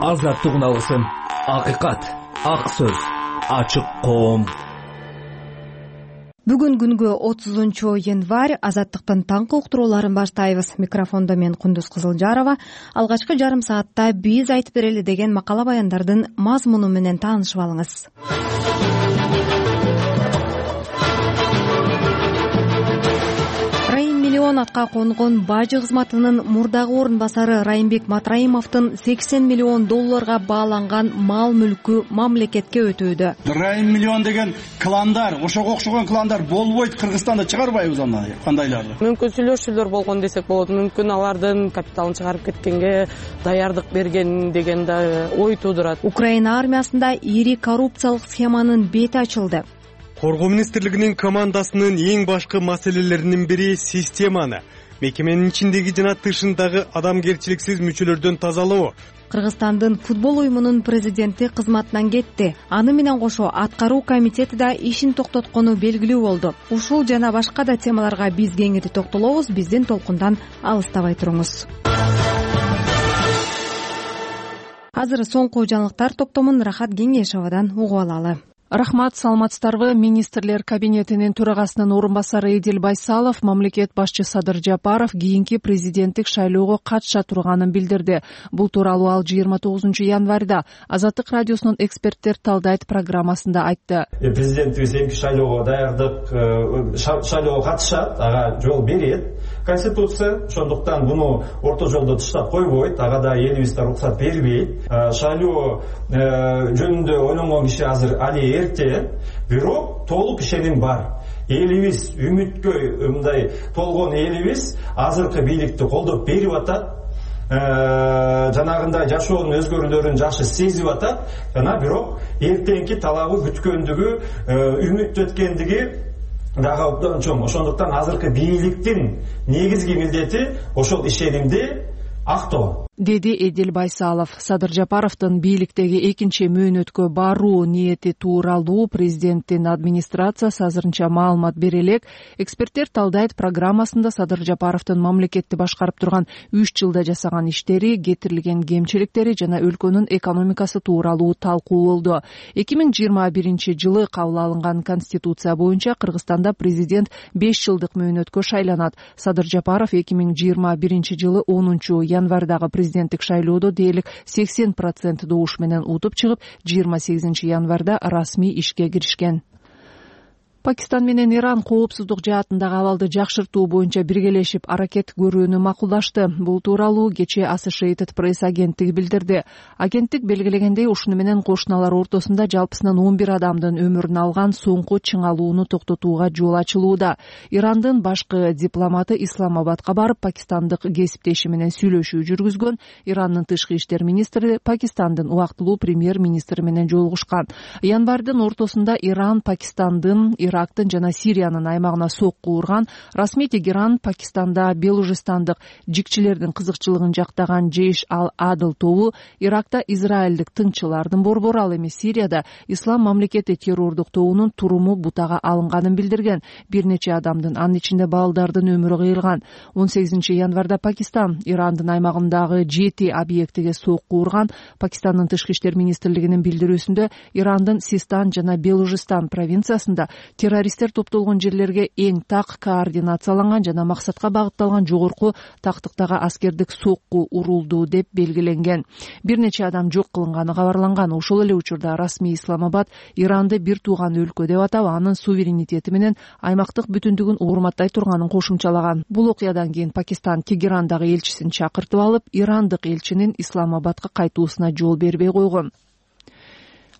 Азаттык алгысың. Акыйкат, ак сөз, ачык коом. Бүгүн күнгө 30-январь. Азаттыктын таңкы уктурууларын баштайбыз. Микрофондо мен Кундуз Кызылжарова. Алгачкы жарым саатта биз айтып берели деген макала баяндардын мазмуну менен таанышып алыңыз. Атка конгон бажы кызматынын мурдагы орун басары Райымбек Матраимовдун $80 миллион бааланган мал мүлкү мамлекетке өтүүдө. Райым миллион деген кландар, ошого окшогон кландар болбойт Кыргызстанда, чыгарбайбыз аны кандайларды. Мүмкүн сүйлөшүүлөр болгон десек болот. Мүмкүн алардын капиталын чыгарып кеткенге даярдык берген деген да ой туудурат. Украина армиясында ири коррупциялык схеманын бети ачылды. Коргоо министрлигинин командасынын эң башкы маселелеринин бири системаны, мекеменин ичиндеги жана тышындагы адамгерчиликсиз мүчөлөрдөн тазалоо. Кыргызстандын футбол уюмунун президенти кызматынан кетти. Аны менен кошо аткаруу комитети да ишин токтоткону белгилүү болду. Ушул жана башка да темаларга биз кеңири токтолобуз. Биздин толкундан алыстабай туруңуз. Азыр соңку жаңылыктар топтомун Рахат Кеңешовадан угуп алалы. Рахмат, саламатсыздарбы? Министрлер кабинетинин төрагасынын орун басары Эдил Байсалов мамлекет башчы Садыр Жапаров кийинки президенттик шайлоого катыша турганын билдирди. Бул тууралуу ал 29-январда Азаттык радиосунун эксперттер талдайт программасында айтты. Президенттик шайлоого даярдык, шайлоого катышат, ага жол берет Конституция, ошондуктан буну орто жолдо таштап койбойт, ага да элибизде уруксат бербейт. Шайлоо жөнүндө ойлонгон киши азыр али эрте, бирок толук ишеним бар. Элибиз үмүткө мындай толгон элибиз азыркы бийликти колдоп берип атат. Жанагындай жашоонун өзгөрүүлөрүн жакшы сезип атат. Жана бирок эртеңки талабы күткөндүгү, үмүт өткөндүгү дагы абдан чоң. Ошондуктан азыркы бийликтин негизги милдети ошол ишенимди актоо, деди Эдил Байсалов. Садыр Жапаровдун бийликтеги экинчи мөөнөткө баруу ниети тууралуу президенттин администрациясы азырынча маалымат бере элек. Эксперттер талдайт программасында Садыр Жапаровдун мамлекетти башкарып турган 3 жылда жасаган иштери, кетирилген кемчиликтери жана өлкөнүн экономикасы тууралуу талкуулоодо. 2021-жылы кабыл алынган Конституция боюнча Кыргызстанда президент 5 жылдык мөөнөткө шайланат. Садыр Жапаров 2021-жылы 10-январдагы президенттик шайлоодо дээрлик 80% добуш менен утуп чыгып, 28-январда расмий ишке киришкен. Пакистан менен Иран коопсуздук жаатындагы абалды жакшыртуу боюнча биргелешип аракет көрүүнү макулдашты. Бул тууралуу кечээ Associated Press агенттиги билдирди. Агенттик белгилегендей, ушуну менен кошуналар ортосунда жалпысынан 11 адамдын өмүрүн алган соңку чыңалууну токтотууга жол ачылууда. Ирандын башкы дипломаты Исламабадка барып, пакистандык кесиптеши менен сүйлөшүү жүргүзгөн. Ирандын тышкы иштер министри Пакистандын убактылуу премьер-министри менен жолугушкан. Январдын ортосунда Иран Пакистандын, Ирактын жана Сириянын аймагына сокку урган. Расмий Тегеран Пакистанда белужистандык жикчилердин кызыкчылыгын жактаган Жейш ал-Адыл тобу Иракта израилдик тыңчылардын борбору, ал эми Сирияда Ислам мамлекети террордук тобунун туруму бутага алынганын билдирген. Бир нече адамдын, анын ичинде балдардын өмүрү кыйылган. 18-январда Пакистан Ирандын аймагындагы 7 объектиге сокку урган. Пакистандын тышкы иштер министрлигинин билдирүүсүндө Ирандын Систан жана Белужистан провинциясында террористтер топтолгон жерлерге эң так координацияланган жана максатка багытталган жогорку тактыктагы аскердик сокку урулду деп белгиленген. Бир нече адам жок кылынганы кабарланган. Ошол эле учурда расмий Исламабад Иранды бир тууган өлкө деп атап, анын суверенитети менен аймактык бүтүндүгүн урматтай турганын кошумчалаган. Бул окуядан кийин Пакистан Тегерандагы элчисин чакыртып алып, ирандык элчинин Исламабадка кайтуусуна жол бербей койгон.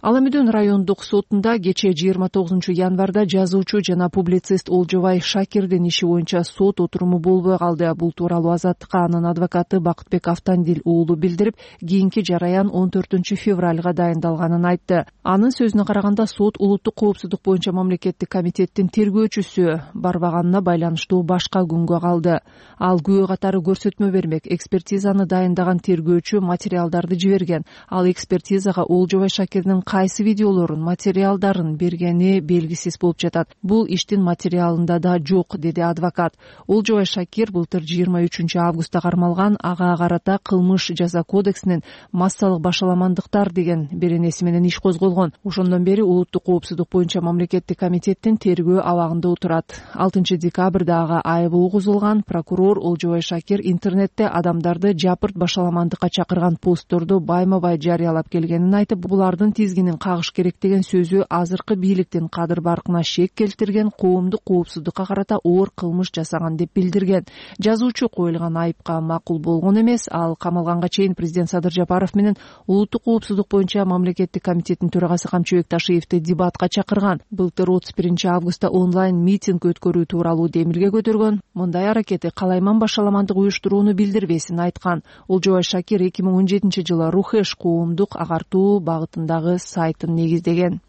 Аламүдүн райондук сотунда кечээ 29-январда жазуучу жана публицист Олжобай Шакирдин иши боюнча сот отуруму болбой калды. Бул тууралуу Азаттыкка анын адвокаты Бакытбек Автандил уулу билдирип, кийинки жараян 14-февралга дайындалганын айтты. Анын сөзүнө караганда, сот улуттук коопсуздук боюнча мамлекеттик комитеттин тергөөчүсү барбаганына байланыштуу башка күнгө калды. Ал күбө катары көрсөтмө бермек. Экспертизаны дайындаган тергөөчү материалдарды жиберген. Ал экспертизага Олжобай Шакирдин кайсы видеолорун, материалдарын бергени белгисиз болуп жатат. Бул иштин материалында да жок, деди адвокат. Олжобай Шакир былтыр 23 августта кармалган, ага карата кылмыш жаза кодексинин массалык башаламандыктар деген беренеси менен иш козголгон. Ошондон бери улуттук коопсуздук боюнча мамлекеттик комитеттин тергөө абагында отурат. 6 декабрда ага айыбы угузулган. Прокурор Олжобай Шакир интернетте адамдарды жапырт башаламандыкка чакырган постторду байма-бай жарыялап келгенин айтып, булардын тизгинин кагыш керек деген сөзү азыркы бийликтин кадыр-баркына шек келтирген, коомдук коопсуздукка карата оор кылмыш жасаган деп билдирген. Жазуучу коюлган айыпка макул болгон эмес. Ал камалганга чейин президент Садыр Жапаров менен улуттук коопсуздук боюнча мамлекеттик комитеттин төрагасы Камчыбек Ташиевди дебатка чакырган. Былтыр 31 августта онлайн митинг өткөрүү тууралуу демилге көтөргөн. Мындай аракети калайман башаламандык уюштурууну билдирбесин айткан. Олжобай Шакир 2017 жылы Рухеш коомдук агартуу багытындагы сайтын негиздеген.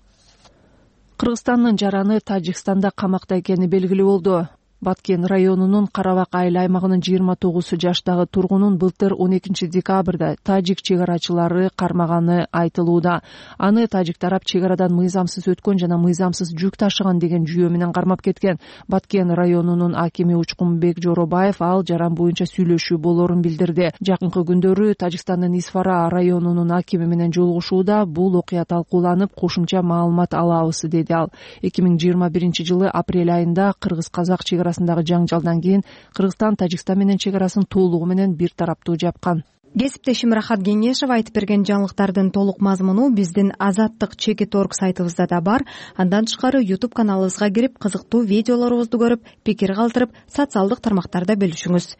Кыргызстандын жараны Тажикстанда камакта экени белгилүү болду. Баткен районунун Карабак айыл аймагынын 29 жаштагы тургунун былтыр 12 декабрда тажик чегарачылары кармаганы айтылууда. Аны тажик тарап чегарадан мыйзамсыз өткөн жана мыйзамсыз жүк ташыган деген жүйө менен кармап кеткен. Баткен районунун акими Учкунбек Жоробаев ал жаран боюнча сүйлөшүү болорун билдирди. Жакынкы күндөрү Тажикстандын Исфара районунун акими менен жолугушууда бул окуя талкууланып, кошумча маалымат алабыз, деди ал. 2021 жылы апрель айында кыргыз-казак чегарасындагы жаңжалдан кийин Кыргызстан Тажикстан менен чегарасын толугу менен бир тараптуу жапкан. Кесиптешим Рахат Кеңешев айтып берген жаңылыктардын толук мазмуну биздин Азаттык Чекит.орг сайтыбызда да бар. Андан тышкары YouTube каналыбызга кирип, кызыктуу видеолорубузду көрүп, пикир калтырып, социалдык тармактарда бөлүшүңүз.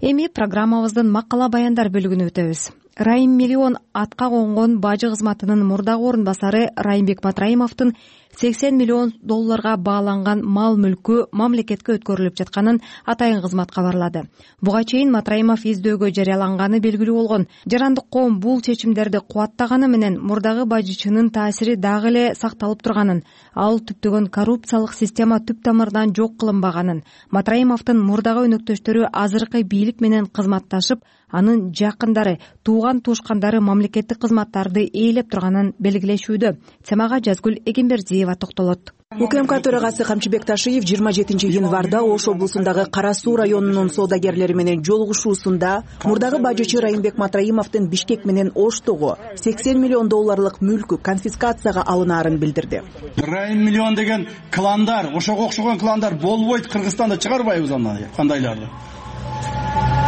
Эми программабыздын макала баяндар бөлүгүнө өтөбүз. Райым Миллион атка конгон бажы кызматынын мурдагы орун басары Райымбек Матраимовдун $80 миллион бааланган мал мүлкү мамлекетке өткөрүлүп жатканын атайын кызмат кабарлады. Буга чейин Матраимов издөөгө жарыяланганы белгилүү болгон. Жарандык коом бул чечимдерди кубаттаганы менен мурдагы бажычынын таасири дагы эле сакталып турганын, ал түптөгөн коррупциялык система түп тамырдан жок кылынбаганын, Матраимовдун мурдагы өнөктөштөрү азыркы бийлик менен кызматташып, анын жакындары, тууган туушкандары мамлекеттик кызматтарды ээлеп турганын белгилешүүдө. Темага Жазгүл Эгембердиева токтолот. УКМК төрагасы Камчыбек Ташиев 27 январда Ош облусундагы Кара Суу районунун соодагерлери менен жолугушуусунда мурдагы бажычы Райымбек Матраимовдун Бишкек менен Оштогу $80 миллион мүлкү конфискацияга алынаарын билдирди. Райым Миллион деген кландар, ошого окшогон кландар болбойт, Кыргызстанда чыгарбайбыз аны, кандайларды.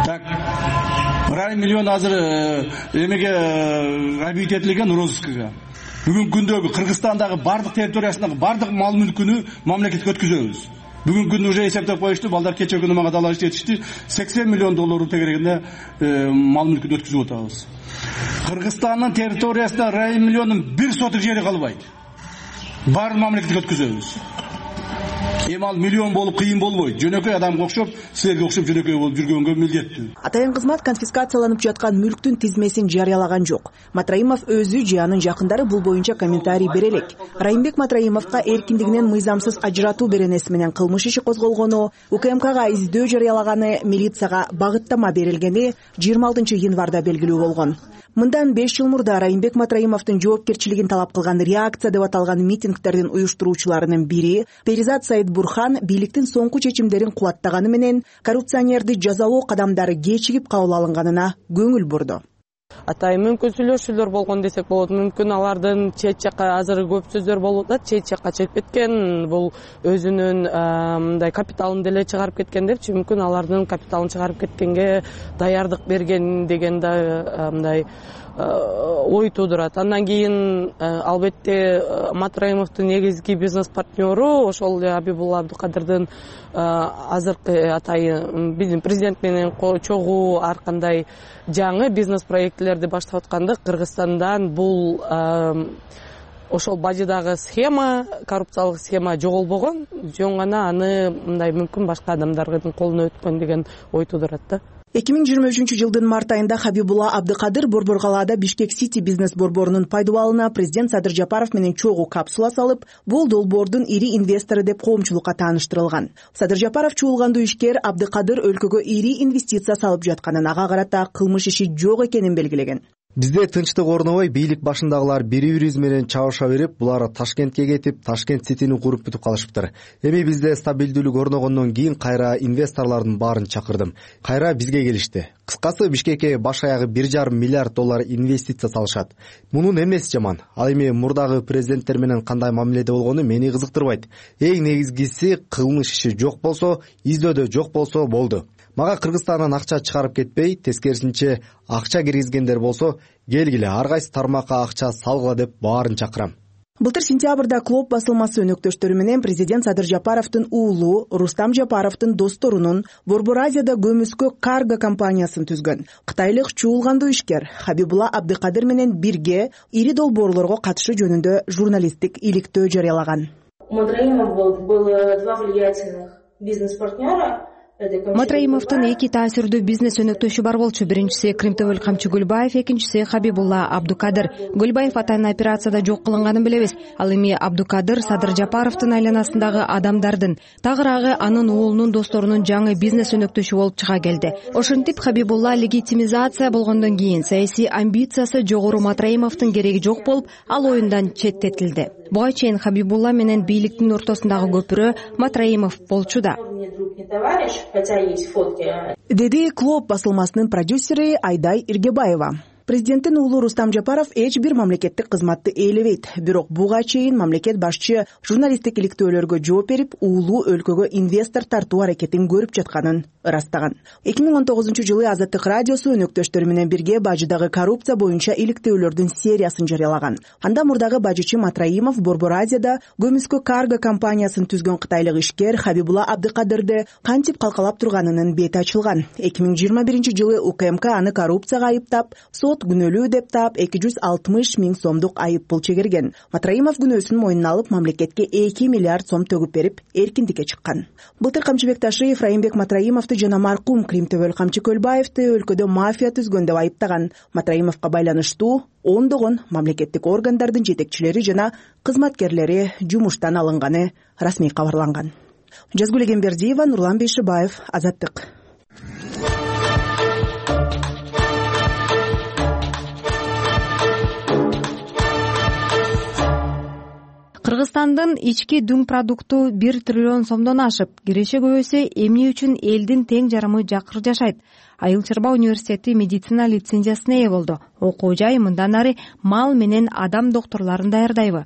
Так, Райым Миллион азыр эмеге объект розыскага. Бүгүнкү күндөгү Кыргызстандагы бардык территориясындагы бардык мал мүлкүнү мамлекетке өткөзөбүз. Бүгүнкү күндү уже эсептеп коюшту, балдар кече күнү мага далаш жетишти, $80 миллион тегерегинде мал мүлкүн өткөзүп атабыз. Кыргызстандын территориясында Райым Миллиондун бир сотук жери калбайт. Баарын мамлекетке өткөзөбүз. Эми ал миллион болуп кыйын болбойт. Жөнөкөй адамга окшоп, силерге окшоп жөнөкөй болуп жүргөнгө милдеттүү. Атайын кызмат конфискацияланып жаткан мүлктүн тизмесин жарыялаган жок. Матраимов өзү же анын жакындары бул боюнча комментарий бере элек. Райымбек Матраимовго эркиндигинен мыйзамсыз ажыратуу беренеси менен кылмыш иши козголгону, УКМКга издөө жарыялаганы, милицияга багыттама берилгени 26 январда белгилүү болгон. Мындан 5 жыл мурда Райымбек Матраимовдун жоопкерчилигин талап кылган реакция деп аталган митингдердин уюштуруучуларынын бири Перизат Саид Бурхан бийликтин соңку чечимдерин кубаттаганы менен коррупционерди жазалоо кадамдары кечигип кабыл алынганына көңүл бурду. Атай мүмкүн сүйлөшүүлөр болгон десек болот. Мүмкүн алардын чет жакка азыр көп сөздөр болуп атат, чет жакка чыгып кеткен, бул өзүнүн мындай капиталын деле чыгарып кеткен депчи, мүмкүн алардын капиталын чыгарып кеткенге даярдык берген деген да мындай ой туудурат. Андан кийин албетте Матраимовдун негизги бизнес партнеру ошол Абибулла Абдыкадырдын азыркы атайы президент менен чогуу ар кандай жаңы бизнес проектилерди баштап атканда Кыргызстандан бул ошол бажыдагы схема, коррупциялык схема жоголбогон, жөн гана аны мындай мүмкүн башка адамдардын колуна өткөн деген ой туудурат да. 2023 жылдын март айында Хабибулла Абдыкадыр Борборкалаада Бишкек Сити бизнес борборунун пайдубалына президент Садыр Жапаров менен чогуу капсула салып, бул долбоордун ири инвестору деп коомчулукка тааныштырылган. Садыр Жапаров чуулгандуу ишкер Абдыкадыр өлкөгө ири инвестиция салып жатканын, ага карата кылмыш иши жок экенин белгилеген. Бизде тынчтык орнобой бийлик башындагылар бири-бирибиз менен чабыша берип, булар Ташкентке кетип, Ташкент Ситини куруп бүтүп калышыптыр. Эми бизде стабилдүүлүк орногондон кийин кайра инвесторлордун баарын чакырдым. Кайра бизге келишти. Кыскасы, Бишкекке баш аягы $1,5 миллиард инвестиция салышат. Мунун эмнеси жаман? Ал эми мурдагы президенттер менен кандай мамиледе болгону мени кызыктырбайт. Эң негизгиси, кылмыш иши жок болсо, издөөдө жок болсо болду. Мага Кыргызстандан акча чыгарып кетпей, тескерисинче акча киргизгендер болсо, келгиле ар кайсы тармакка акча салгыла деп баарын чакырам. Былтыр сентябрда Клоп басылмасы өнөктөштөрү менен президент Садыр Жапаровдун уулу Рустам Жапаровдун досторунун Борбор Азияда көмүскө карго компаниясын түзгөн кытайлык чуулгандуу ишкер Хабибулла Абдыкадыр менен бирге ири долбоорлорго катышы жөнүндө журналисттик иликтөө жарыялаган. Было два влиятельных бизнес-партнера. Матраимовдун эки таасирдүү бизнес өнөктөшү бар болчу. Биринчиси Кримтөбөл камчы Гүлбаев, экинчиси Хабибулла Абдыкадыр. Гүлбаев атайын операцияда жок кылынганын билебиз. Ал эми Абдыкадыр Садыр Жапаровдун айланасындагы адамдардын, тагыраагы анын уулунун досторунун жаңы бизнес өнөктөшү болуп чыга келди. Ошентип Хабибулла легитимизация болгондон кийин саясий амбициясы жогору Матраимовдун кереги жок болуп, ал оюндан четтетилди. Буга чейин Хабибулла менен бийликтин ортосундагы көпүрө Матраимов болчу да. Деди Клоп басылмасынын продюсери Айдай Иргебаева. Президенттин уулу Рустам Жапаров эч бир мамлекеттик кызматты ээлебейт. Бирок буга чейин мамлекет башчы журналисттик иликтөөлөргө жооп берип, уулу өлкөгө инвестор тартуу аракетин көрүп жатканын ырастаган. 2019-жылы Азаттык радиосу өнөктөштөрү менен бирге бажыдагы коррупция боюнча иликтөөлөрдүн сериясын жарыялаган. Анда мурдагы бажычы Матраимов Борбор Азияда көмүскө карго компаниясын түзгөн кытайлык ишкер Хабибулла Абдыкадырды кантип калкалап турганынын бети ачылган. 2021-жылы УКМК аны коррупцияга айыптап, күнөлүү деп таап 260 000 сомдук айып пул чегерген. Матраимов күнөөсүн мойнуна алып, мамлекетке 2 миллиард сом төгүп берип, эркиндикке чыккан. Былтыр Камчыбек Ташиев Райымбек Матраимовду жана маркум Кримтөбөл камчы Көлбаевди өлкөдө мафия түзгөн деп айыптаган. Матраимовго байланыштуу ондогон мамлекеттик органдардын жетекчилери жана кызматкерлери жумуштан алынганы расмий кабарланган. Жазгүл Эгембердиева, Нурлан Бейшибаев, Азаттык. Кыргызстандын ички дүң продукту 1 триллион сомдон ашып, киреше көбөйсө эмне үчүн элдин тең жарымы жакыр жашайт? Айыл Чарба университети медицина лицензиясына ээ болду. Окуу жай мындан ары мал менен адам докторлорун даярдайбы?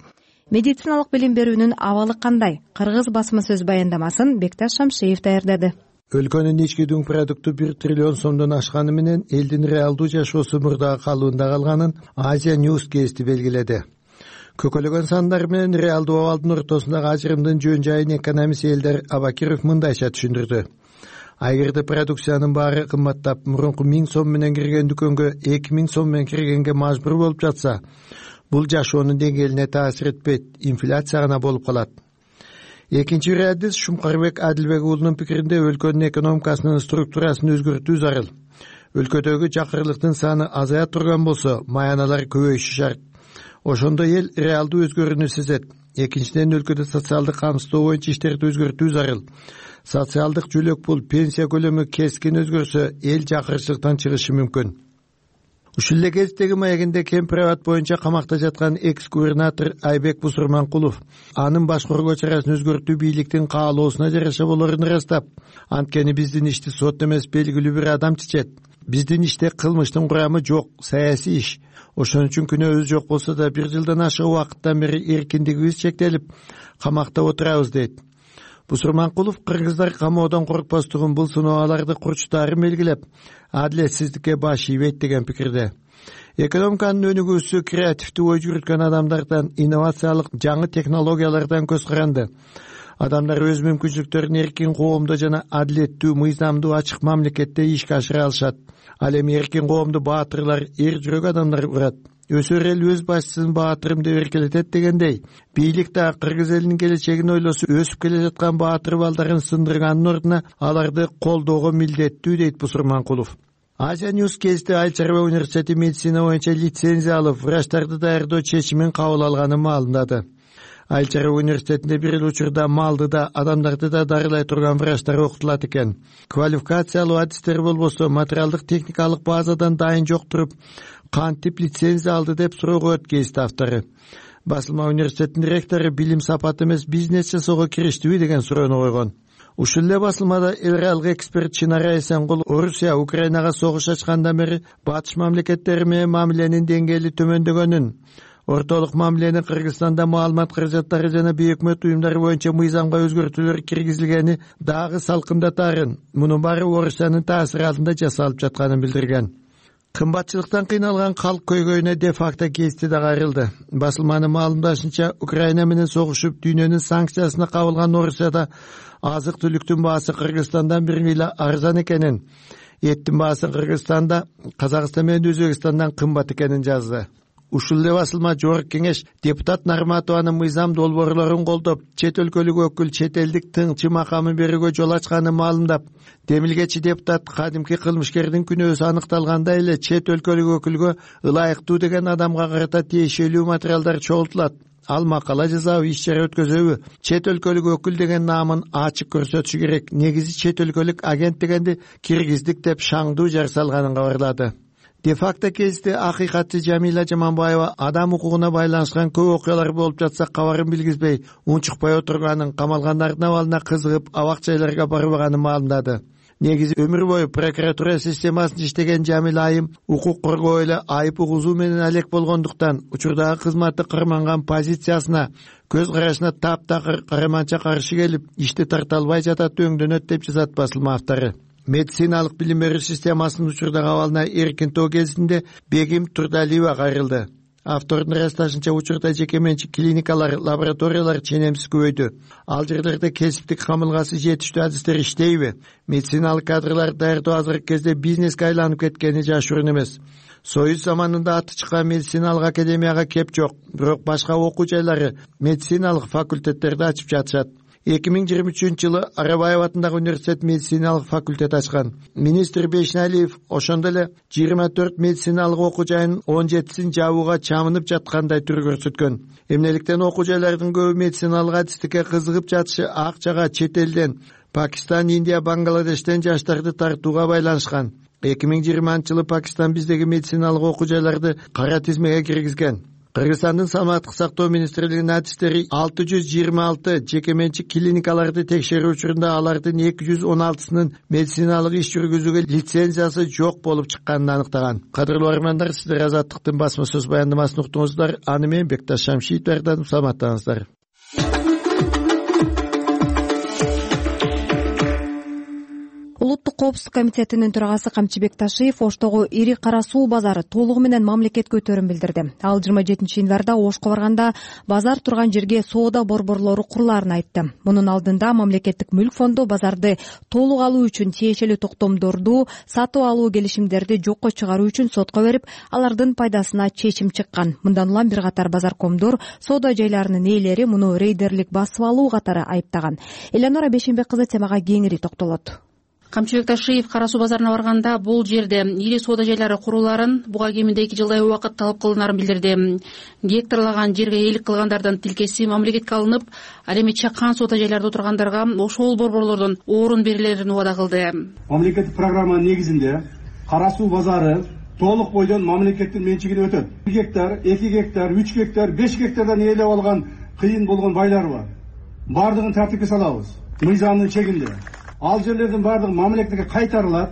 Медициналык билим берүүнүн абалы кандай? Кыргыз басма сөз баяндамасын Бекташ Шамшиев даярдады. Өлкөнүн ички дүң продукту 1 триллион сомдон ашканы менен элдин реалдуу жашоосу мурдагы калыбында калганын Азия News кести белгиледи. Көкөлөгөн сандар менен реалдуу абалдын ортосундагы ажырымдын жөн жайын экономист Элдар Абакиров мындайча түшүндүрдү. Айгерде продукциянын баары кымбаттап, мурунку 1000 сом менен кирген дүкөнгө 2000 сом менен киргенге мажбур болуп жатса, бул жашоонун деңгээлине таасир этпейт, инфляция гана болуп калат. Экинчи адис Шумкарбек Адилбек уулунун пикиринде өлкөнүн экономикасынын структурасын өзгөртүү зарыл. Өлкөдөгү жакырлыктын саны азая турган болсо, маяналар көбөйүшү шарт. Ошондо эл реалдуу өзгөрүүнү сезет. Экинчиден, өлкөдө социалдык камсыздоо боюнча иштерди өзгөртүү зарыл. Социалдык жөлөк пул, пенсия көлөмү кескин өзгөрсө, эл жакырчылыктан чыгышы мүмкүн. Ушул эле кездеги маегинде Кемпирабад боюнча камакта жаткан экс-губернатор Айбек Бусурманкулов анын башкаруу чарасын өзгөртүү бийликтин каалоосуна жараша болорун ырастап, анткени биздин ишти сот эмес белгилүү бир адам чечет. Биздин иште кылмыштын курамы жок, саясий иш. Ошон үчүн күнөөбүз жок болсо да 1 жылдан ашык убакыттан бери эркиндигибиз чектелип, камакта отурабыз дейт. Бусурманкулов кыргыздар камоодон коркпостугун бул сыноолорду курчтаарын белгилеп, адилетсиздикке баш ийбейт деген пикирде. Экономиканын өнүгүүсү креативдүү ой жүрүткөн адамдардан, инновациялык жаңы технологиялардан көз каранды. Адамдар өз мүмкүнчүлүктөрүн эркин коомдо жана адилеттүү, мыйзамдуу, ачык мамлекетте ишке ашыра алышат. Ал эми эркин коомду баатырлар, эр жүрөк адамдар курат. Өсөр эл өз башчысын баатырым деп эркелетет дегендей, бийлик да кыргыз элинин келечегин ойлосо, өсүп келе жаткан баатыр балдарын сындырганын ордуна аларды колдоого милдеттүү, дейт Бусурманкулов. Азия News кести Айыл Чарба университети медицина боюнча лицензия алып, врачтарды даярдоо чечимин кабыл алганын маалымдады. Айыл чарба университетинде бир эле учурда малды да, адамдарды да дарылай турган врачтар окутулат экен. Квалификациялуу адистер болбосо материалдык техникалык базадан дайын жок туруп, кантип лицензия алды деп суроого өткөздү автору. Басылма университетинин ректору билим сапаты эмес бизнес жасоого кириштиби деген суроону койгон. Ушул эле басылмада эле эксперт Чынара Эсенгул Орусия Украинага согуш ачкандан бери батыш мамлекеттери менен мамиленин деңгээли төмөндөгөнүн, ортолук мамилени Кыргызстанда маалымат каражаттары жана бейөкмөт уюмдары боюнча мыйзамга өзгөртүүлөр киргизилгени дагы салкындатаарын, мунун баары Орусиянын таасири алдында жасалып жатканын билдирген. Кымбатчылыктан кыйналган калк көйгөйүнө де-факто кести да кайрылды. Басылманын маалымдашынча, Украина менен согушуп дүйнөнүн санкциясына кабылган Орусияда азык-түлүктүн баасы Кыргызстандан бир миля арзан экенин, эттин баасы Кыргызстанда Казакстан менен Өзбекстандан кымбат экенин жазды. Ушул эле басылма Жогорку Кеңеш депутат Нарматованын мыйзам долбоорлорун колдоп, чет өлкөлүк өкүл чет элдик тыңчы макамын берүүгө жол ачканын маалымдап, демилгечи депутат кадимки кылмышкердин күнөөсү аныкталганда эле чет өлкөлүк өкүлгө ылайыктуу деген адамга карата тиешелүү материалдар чогултулат. Ал макала жазабы, иш чара өткөзөбү? Чет өлкөлүк өкүл деген наамын ачык көрсөтүшү керек. Негизи чет өлкөлүк агент дегенди киргиздик деп шаңдуу жар салганын кабарлады. Де-факто кезде акыйкатчы Жамила Жаманбаева адам укугуна байланышкан көп окуялар болуп жатса кабарын билгизбей, унчукпай отурганын, камалгандардын абалына кызыгып, абак жайларга барбаганын маалымдады. Негизи өмүр бою прокуратура системасында иштеген Жамила айым укук коргоо эле айып угузуу менен алек болгондуктан учурдагы кызматы кырманган позициясына, көз карашына таптакыр караманча каршы келип, ишти тарта албай жатат, өңдөнөт деп жазат басылма автору. Медициналык билим берүү системасынын учурдагы абалына эркин тоо кезинде Бегим Турдалиева кайрылды. Автордун ырасташынча, учурда жеке менчик клиникалар, лабораториялар ченемсиз көбөйдү. Ал жерлерде кесиптик камылгасы жетиштүү адистер иштейби? Медициналык кадрларды даярдоо азыркы кезде бизнеске айланып кеткени жашыруун эмес. Союз заманында аты чыккан медициналык академияга кеп жок, бирок башка окуу жайлары, медициналык факультеттерди ачып жатышат. 2023-жылы Арабаев атындагы университет медициналык факультет ачкан. Министр Бешналиев ошондо эле 24 медициналык окуу жайынын 17син жабууга чамынып жаткандай түр көрсөткөн. Эмнеликтен окуу жайлардын көбү медициналык адистикке кызыгып жатышы акчага чет элден, Пакистан, Индия, Бангладештен жаштарды тартууга байланышкан. 2020-жылы Пакистан биздеги медициналык окуу жайларды кара тизмеге киргизген. Кыргызстандын саламаттык сактоо министрлигинин адистери 626 жеке менчик клиникаларды текшерүү учурунда алардын 216сынын медициналык иш жүргүзүүгө лицензиясы жок болуп чыкканын аныктаган. Кадырлуу армандар, сиздер Азаттыктын басма сөз баяндамасын уктуңуздар. Аны менен Бекташ Шамшиев даярдадым. Саламаттаңыздар. Улуттук коопсуздук комитетинин төрагасы Камчыбек Ташиев Оштогу ири кара суу базары толугу менен мамлекетке өтөрүн билдирди. Ал 27-январда Ошко барганда базар турган жерге соода борборлору курулаарын айтты. Мунун алдында мамлекеттик мүлк фонду базарды толук алуу үчүн тиешелүү токтомдорду, сатып алуу келишимдерди жокко чыгаруу үчүн сотко берип, алардын пайдасына чечим чыккан. Мындан улам бир катар базаркомдор соода жайларынын ээлери муну рейдерлик басып алуу катары айыптаган. Элеонора Бешенбек кызы темага кеңири токтолот. Камчыбек Ташиев кара суу базарына барганда бул жерде ири соода жайлары курулаарын буга кеминде 2 жылдай убакыт талап кылынарын билдирди. Гектарлаган жерге ээлик кылгандардын тилкеси мамлекетке алынып, ал эми чакан соода жайларда отургандарга ошол борборлордон орун берилерин убада кылды. Мамлекеттик программанын негизинде кара суу базары толук бойдон мамлекеттин менчигине өтөт. 1 гектар, 2 гектар, 3 гектар, 5 гектардан ээлеп алган кыйын болгон байлар бар. Бардыгын тартипке салабыз. Мыйзамдын чегинде. Ал жерлердин бардыгы мамлекетке кайтарылат.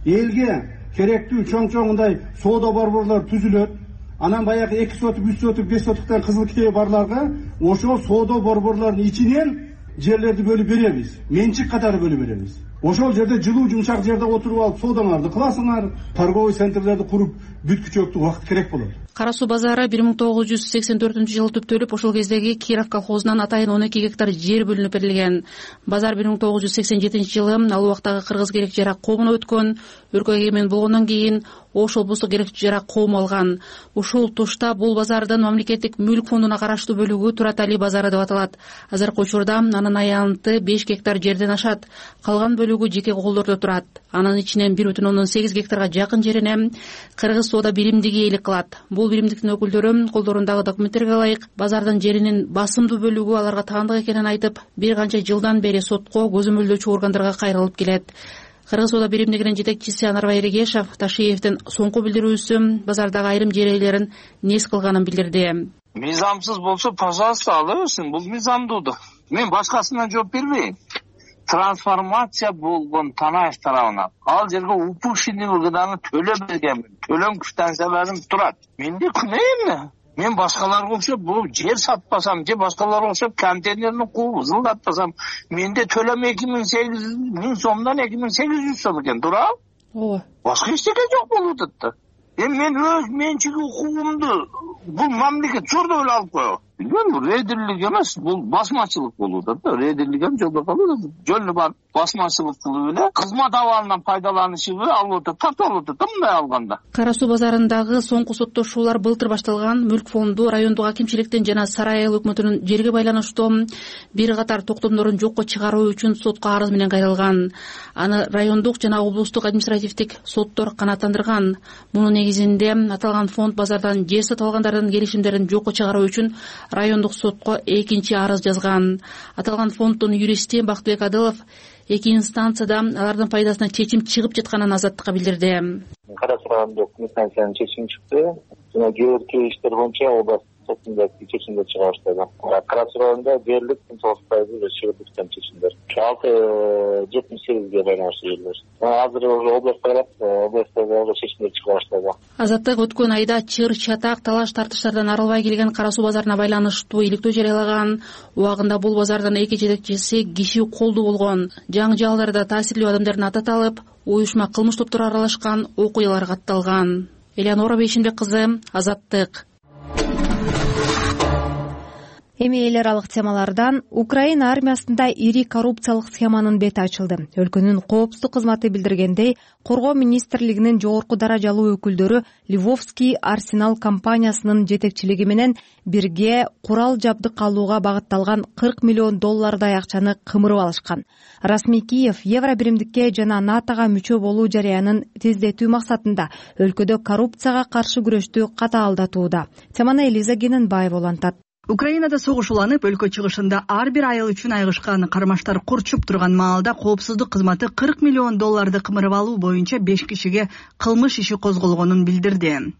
Элге керектүү чоң-чоңундай соода борборлор түзүлөт. Анан баягы 2 сотук, 3 сотук, 5 соттуктан кызыл китеби барларга ошол соода борборлордун ичинен жерлерди бөлүп беребиз. Менчик катары бөлүп беребиз. Ошол жерде жылуу жумшак жерде отуруп алып соодаңарды кыласыңар, торговый центрлерди куруп бүткүчөктү убакыт керек болот. Кара суу базары 1984-жылы түптөлүп, ошол кездеги Киров колхозунан атайын 12 гектар жер бөлүнүп берилген. Базар 1987-жылы ал убактагы кыргыз керек жарак коомуна өткөн. Өлкөгө эгемен болгондон кийин Ош облустук керек жарак коому алган. Ушул тушта бул базардын мамлекеттик мүлк фондуна караштуу бөлүгү Туратали базары деп аталат. Азыркы учурда анын аянты 5 гектар жерден ашат. Калган бөлүгү бөлүгү жеке колдордо турат. Анын ичинен 1,8 гектарга жакын жерине Кыргыз соода биримдиги ээлик кылат. Бул биримдиктин өкүлдөрү колдорундагы документтерге ылайык базардын жеринин басымдуу бөлүгү аларга таандык экенин айтып, бир канча жылдан бери сотко көзөмөлдөөчү органдарга кайрылып келет. Кыргыз соода биримдигинин жетекчиси Анарбай Эрегешов Ташиевдин соңку билдирүүсү базардагы айрым жер ээлерин нес кылганын билдирди. Мыйзамсыз болсо, пожалуйста, ала берсин. Бул мыйзамдуудук. Мен башкасына жооп бербейм. Трансформация болгон Танаев тарабынан ал жерге упущенный выгоданы төлөп бергенмин. Төлөм квитанцияларым турат. Менде күнөө эмне? Мен башкаларга окшоп бул жер сатпасам, же башкаларга окшоп контейнерни кууп ызылдатпасам, менде төлөм 2800 миң сомдон 2800 сом экен, туурабы? Ооба. Башка эчтеке жок болуп атат да. Мен өз менчиги укугумду бул мамлекет жордо эле алып коебу. Билбейм, бул рейдерлик эмес, бул басмачылык болуп атат да. Рейдерлик эми жолдо калып, жолду барып басмачылык кылып эле кызмат абалынан пайдаланышыбы алып атат, тартып алып атат да мындай алганда. Кара суу базарындагы соңку соттошуулар былтыр башталган. Мүлк фонду райондук акимчиликтин жана Сарай айыл өкмөтүнүн жерге байланыштуу бир катар токтомдорун жокко чыгаруу үчүн сотко арыз менен кайрылган. Аны райондук жана облустук административдик соттор канааттандырган. Мунун негизинде аталган фонд базардан жер сатып алгандардын келишимдерин жокко чыгаруу үчүн райондук сотко экинчи арыз жазган. Аталган фонддун юристи Бактыбек Адылов эки инстанцияда алардын пайдасына чечим чыгып жатканын Азаттыкка билдирди. Кара суу райондук инстанциянын чечими чыкты. Жана кээ бир иштер боюнча область сотунда чечимдер чыга баштады. Кара суу районунда дээрлик 9% чыгып жаткан чечимдер. 678ге байланыштуу жерлер. Азыр область тарап, областта чечимдер чыга баштады. Азаттык өткөн айда чыр, чатак, талаш тартыштардан арылбай келген кара суу базарына байланыштуу иликтөө жарыялаган. Убагында бул базардын эки жетекчиси киши колдуу болгон. Жаңжалдарда таасирлүү адамдардын аты аталып, уюшма кылмыш топтора аралашкан окуялар катталган. Элеонора Бейшинбек кызы, Азаттык. Эми эл аралык темалардан Украина армиясында ири коррупциялык схеманын бети ачылды. Өлкөнүн коопсуздук кызматы билдиргендей, Коргоо министрлигинин жогорку даражалуу өкүлдөрү Ливовский Арсенал компаниясынын жетекчилиги менен бирге курал жабдык алууга багытталган $40 миллион акчаны кымырып алышкан. Расмий Киев евро биримдикке жана НАТОга мүчө болуу жарыянын тездетүү максатында өлкөдө коррупцияга каршы күрөштү катаалдатууда. Теманы Элиза Гененбаева улантат. Украинада согуш уланып, өлкө чыгышында ар бир айыл үчүн айгышкан кармаштар курчуп турган маалда коопсуздук кызматы $40 миллион кымырып алуу боюнча 5 кишиге кылмыш иши козголгонун билдирди.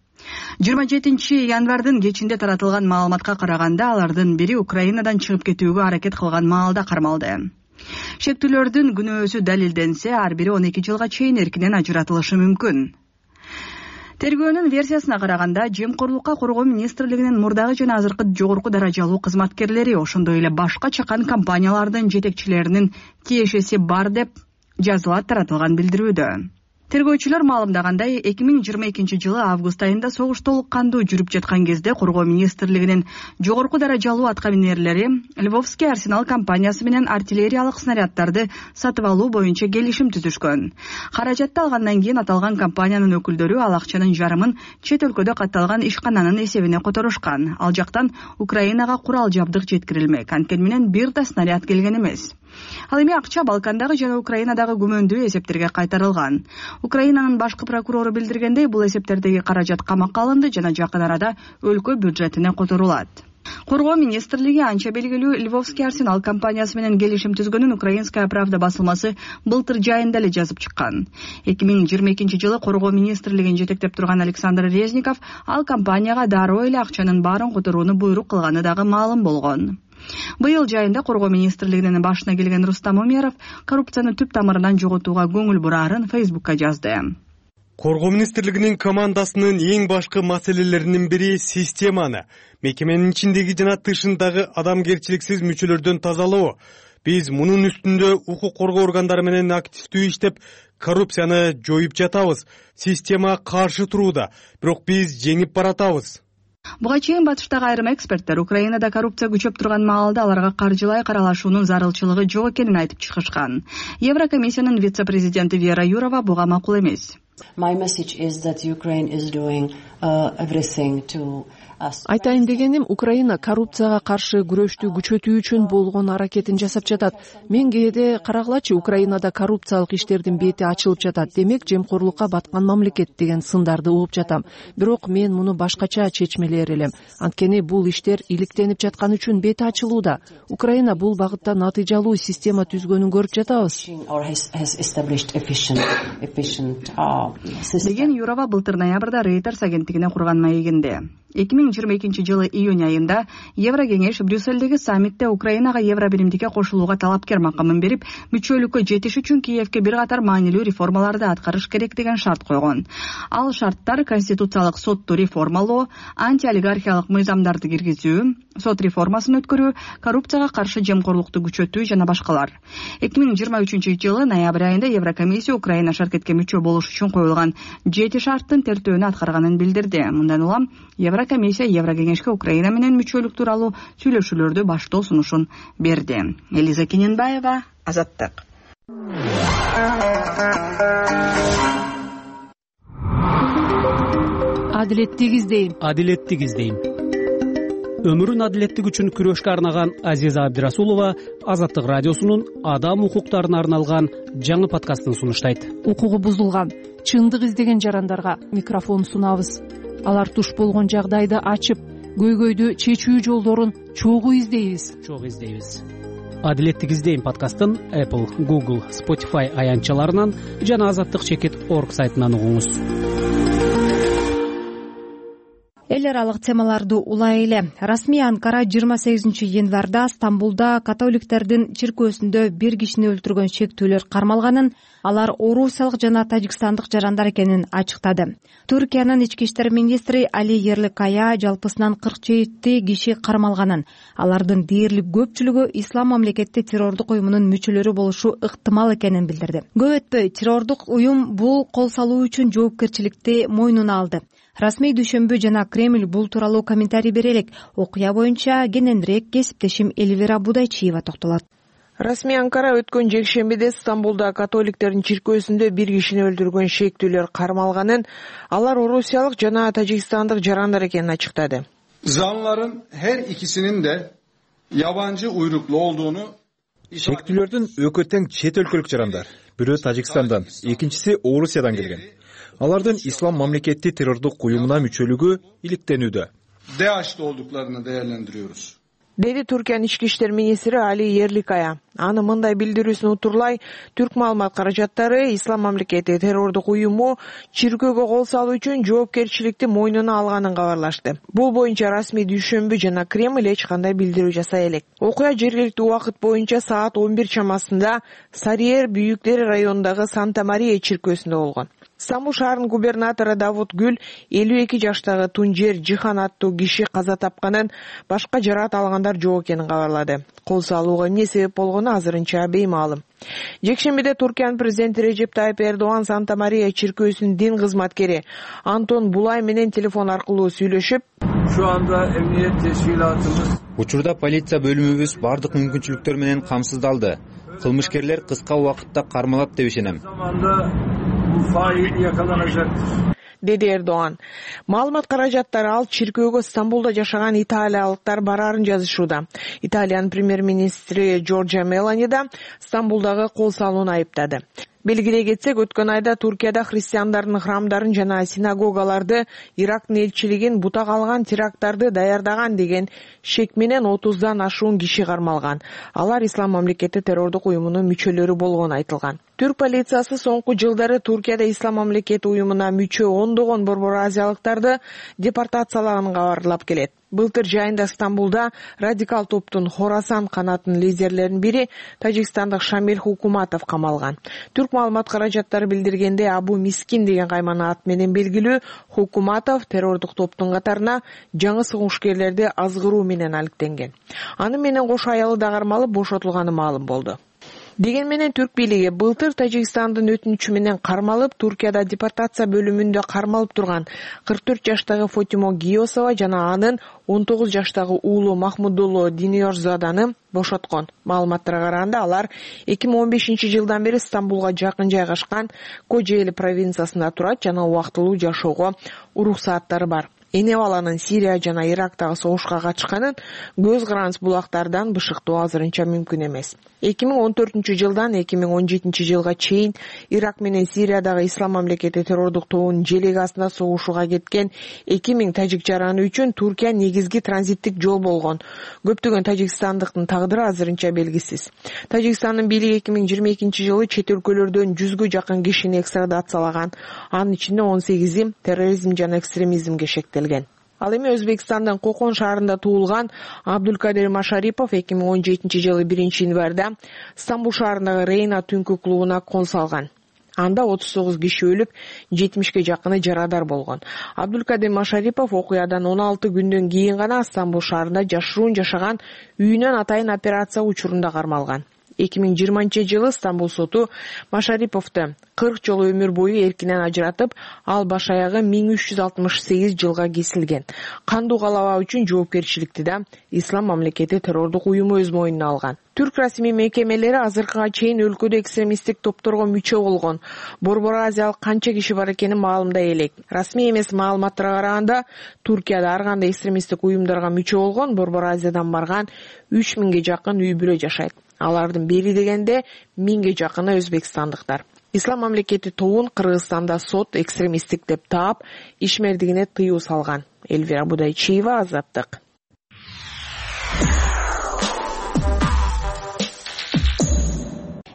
27 январдын кечинде таратылган маалыматка караганда, алардын бири Украинадан чыгып кетүүгө аракет кылган маалда кармалды. Шектүүлөрдүн күнөөсү далилденсе, ар бири 12 жылга чейин эркинен ажыратылышы мүмкүн. Тергөөнүн версиясына караганда, жемкорлукка Коргоо министрлигинин мурдагы жана азыркы жогорку даражалуу кызматкерлери, ошондой эле башка чакан компаниялардын жетекчилеринин тиешеси бар деп жазылат таратылган билдирүүдө. Тергөөчүлөр маалымдагандай, 2022 жылы август айында согуш толук кандуу жүрүп жаткан кезде Коргоо министрлигинин жогорку даражалуу аткаминерлери Львовский Арсенал компаниясы менен артиллериялык снаряддарды сатып алуу боюнча келишим түзүшкөн. Каражатты алгандан кийин аталган компаниянын өкүлдөрү ал акчанын жарымын чет өлкөдө катталган ишкананын эсебине которушкан. Ал жактан Украинага курал жабдык жеткирилмек. Анткени менен бир да снаряд келген эмес. Ал эми акча Балкандагы жана Украинадагы күмөндүү эсептерге кайтарылган. Украинанын башкы прокурору билдиргендей, бул эсептердеги каражат камакка алынды жана жакын арада өлкө бюджетине которулат. Коргоо министрлиги анча белгилүү Львовский Арсенал компаниясы менен келишим түзгөнүн Украинская правда басылмасы былтыр жайында эле жазып чыккан. 2022 жылы Коргоо министрлигин жетектеп турган Александр Резников ал компанияга дароо эле акчанын баарын которууну буйрук кылганы дагы маалым болгон. Быйыл жайында Коргоо министрлигинин башына келген Рустам Умеров коррупцияны түп тамырынан жоготууга көңүл бурарын Фейсбукка жазды. Коргоо министрлигинин командасынын эң башкы маселелеринин бири системаны, мекеменин ичиндеги жана тышындагы адамгерчиликсиз мүчөлөрдөн тазалоо. Биз мунун үстүндө укук коргоо органдары менен активдүү иштеп, коррупцияны жоюп жатабыз. Система каршы турууда, бирок биз жеңип баратабыз. Буга чейин батыштагы айрым эксперттер Украинада коррупция күчөп турган маалда аларга каржылай каралашуунун зарылчылыгы жок экенин айтып чыгышкан. Еврокомиссиянын вице-президенти Вера Юрова буга макул эмес. Айтайын дегеним, Украина коррупцияга каршы күрөштү күчөтүү үчүн болгон аракетин жасап жатат. Мен кээде карагылачы, Украинада коррупциялык иштердин бети ачылып жатат. Демек, жемкорлукка баткан мамлекет деген сындарды угуп жатам. Бирок мен муну башкача чечмелер элем. Анткени бул иштер иликтенип жаткан үчүн бети ачылууда. Украина бул багытта натыйжалуу система түзгөнүн көрүп жатабыз. Деген Юрова былтыр ноябрда Reuters агенттигине курган маегинде. 2022-жылы июнь айында Еврокеңеш Брюссельдеги саммитте Украинага евро биримдикке кошулууга талапкер макамын берип, мүчөлүккө жетиш үчүн Киевке бир катар маанилүү реформаларды аткарыш керек деген шарт койгон. Ал шарттар конституциялык сотту реформалоо, антиолигархиялык мыйзамдарды киргизүү, сот реформасын өткөрүү, коррупцияга каршы жемкорлукту күчөтүү жана башкалар. 2023-жылы ноябрь айында Еврокомиссия Украина шаркетке мүчө болуш үчүн коюлган 7 шарттын тертөөнү аткарганын билдирди. Мындан улам Еврокомиссия Еврокеңешке Украина менен мүчөлүк тууралуу сүйлөшүүлөрдү баштоо сунушун берди. Элиза Кененбаева, Азаттык. Адилеттик издейм. Өмүрүн адилеттик үчүн күрөшкө арнаган Азиза Абдирасулова Азаттык радиосунун адам укуктарына арналган жаңы подкастын сунуштайт. Укугу бузулган, чындык издеген жарандарга микрофон сунабыз. Алар туш болгон жагдайды ачып, көйгөйдү чечүү жолдорун чогуу издейбиз. Адилеттик издейм подкастын Apple, Google, Spotify аянтчаларынан жана azattik.org сайтынан угуңуз. Эл аралык темаларды улай эле. Расмий Анкара 28-январда Стамбулда католиктердин чиркөөсүндө бир кишини өлтүргөн шектүүлөр кармалганын, алар орусиялык жана тажикстандык жарандар экенин ачыктады. Түркиянын ички иштер министри Али Ерликая жалпысынан 47 киши кармалганын, алардын дээрлик көпчүлүгү ислам мамлекети террордук уюмунун мүчөлөрү болушу ыктымал экенин билдирди. Көп өтпөй террордук уюм бул кол салуу үчүн жоопкерчиликти мойнуна алды. Расмий дүйшөмбү жана Кремль бул тууралуу комментарий бере элек. Окуя боюнча кененирээк кесиптешим Эльвира Будайчиева токтолот. Расмий Анкара өткөн жекшембиде Стамбулда католиктердин чиркөөсүндө бир кишини өлтүргөн шектүүлөр кармалганын, алар орусиялык жана тажикстандык жарандар экенин ачыктады. Zanlıların her ikisinin de yabancı uyruklu olduğunu Шектүүлөрдүн экөө тең чет өлкөлүк жарандар. Бирөө Тажикстандан, экинчиси Орусиядан келген. Алардын ислам мамлекети террордук уюмуна мүчөлүгү иликтенүүдө. DAEŞ'te olduklarını değerlendiriyoruz. Деди Түркиянын ички иштер министри Али Ерликая. Аны мындай билдирүүсүн утурлай, түрк маалымат каражаттары ислам мамлекети террордук уюму чиркөөгө кол салуу үчүн жоопкерчиликти мойнуна алганын кабарлашты. Бул боюнча расмий дүйшөмбү жана Кремль эч кандай билдирүү жасай элек. Окуя жергиликтүү убакыт боюнча саат 11 чамасында Сарыер Бүйүктер районундагы Санта-Мария чиркөөсүндө болгон. Стамбул шаарынын губернатору Давут Гүл 52 жаштагы Тунжер Жихан аттуу киши каза тапканын, башка жараат алгандар жок экенин кабарлады. Кол салууга эмне себеп болгону азырынча беймаалым. Жекшембиде Туркиянын президенти Режеп Тайып Эрдоган Санта-Мария чиркөөсүнүн дин кызматкери Антон Булай менен телефон аркылуу сүйлөшүп, Şu anda emniyet teşkilatımız Учурда полиция бөлүмүбүз бардык мүмкүнчүлүктөр менен камсыздалды. Кылмышкерлер кыска убакытта кармалат деп ишенем. Деди Эрдоган. Маалымат каражаттары ал чиркөөгө Стамбулда жашаган италиялыктар барарын жазышууда. Италиянын премьер-министри Джорджа Мелани да Стамбулдагы кол салууну айыптады. Белгилей кетсек, өткөн айда Туркияда христиандардын храмдарын жана синагогаларды Ирактын элчилигин бутак алган теракттарды даярдаган деген шек менен 30дан ашуун киши кармалган. Алар ислам мамлекети террордук уюмунун мүчөлөрү болгону айтылган. Түрк полициясы соңку жылдары Туркияда ислам мамлекети уюмуна мүчө ондогон борбор азиялыктарды депортациялаганын кабарлап келет. Былтыр жайында Стамбулда радикал топтун Хорасан канатынын лидерлеринин бири тажикстандык Шамиль Хукуматов камалган. Түрк маалымат каражаттары билдиргенде Абу Мискин деген каймана ат менен белгилүү Хукуматов террордук топтун катарына жаңы сыгушкерлерди азгыруу менен алектенген. Аны менен кошо аялы да кармалып бошотулганы маалым болду. Деген менен түрк бийлиги былтыр Тажикстандын өтүнүчү менен кармалып, Туркияда депортация бөлүмүндө кармалып турган 44 жаштагы Фотимо Гиосова жана анын 19 жаштагы уулу Махмудулло Диниорзаданы бошоткон. Маалыматтарга караганда алар 2015 жылдан бери Стамбулга жакын жайгашкан Кожели провинциясында турат жана убактылуу жашоого уруксааттары бар. Эне баланын Сирия жана Ирактагы согушка катышканын көз карандыс булактардан бышыктоо азырынча мүмкүн эмес. 2014 жылдан 2017 жылга чейин Ирак менен Сириядагы Ислам мамлекети террордук тобунун желеги астында согушууга кеткен 2000 тажик жараны үчүн Туркия негизги транзиттик жол болгон. Көптөгөн тажикстандыктын тагдыры азырынча белгисиз. Тажикстандын бийлиги 2022 жылы чет өлкөлөрдөн 100гө жакын кишини экстрадациялаган. Анын ичинде 18и терроризм жана экстремизмге шектелген. Ал эми Өзбекстандын Кокон шаарында туулган Абдулкадир Машарипов 2017 жылы 1-январда Стамбул шаарындагы Рейна түнкү клубуна кол салган. Анда 39 киши өлүп, 70ге жакыны жарадар болгон. Абдулкадир Машарипов окуядан 16 күндөн кийин гана Стамбул шаарында жашыруун жашаган үйүнөн атайын операция учурунда кармалган. 2020 жылы Стамбул соту Машариповду 40 жолу өмүр бою эркинен ажыратып, ал баш аягы 1368 жылга кесилген. Кандуу калабаа үчүн жоопкерчиликти да Ислам мамлекети террордук уюму өз мойнуна алган. Түрк расмий мекемелери азыркыга чейин өлкөдө экстремисттик топторго мүчө болгон Борбор Азиялык канча киши бар экенин маалымдай элек. Расмий эмес маалыматтарга караганда, Туркияда ар кандай экстремисттик уюмдарга мүчө болгон Борбор Азиядан барган 3000ге жакын үй бүлө жашайт. Алардын бери дегенде 1000ге жакыны өзбекстандыктар. Ислам мамлекети тобун Кыргызстанда сот экстремисттик деп таап, ишмердигине тыюу салган. Элвира Будайчиева, Азаттык.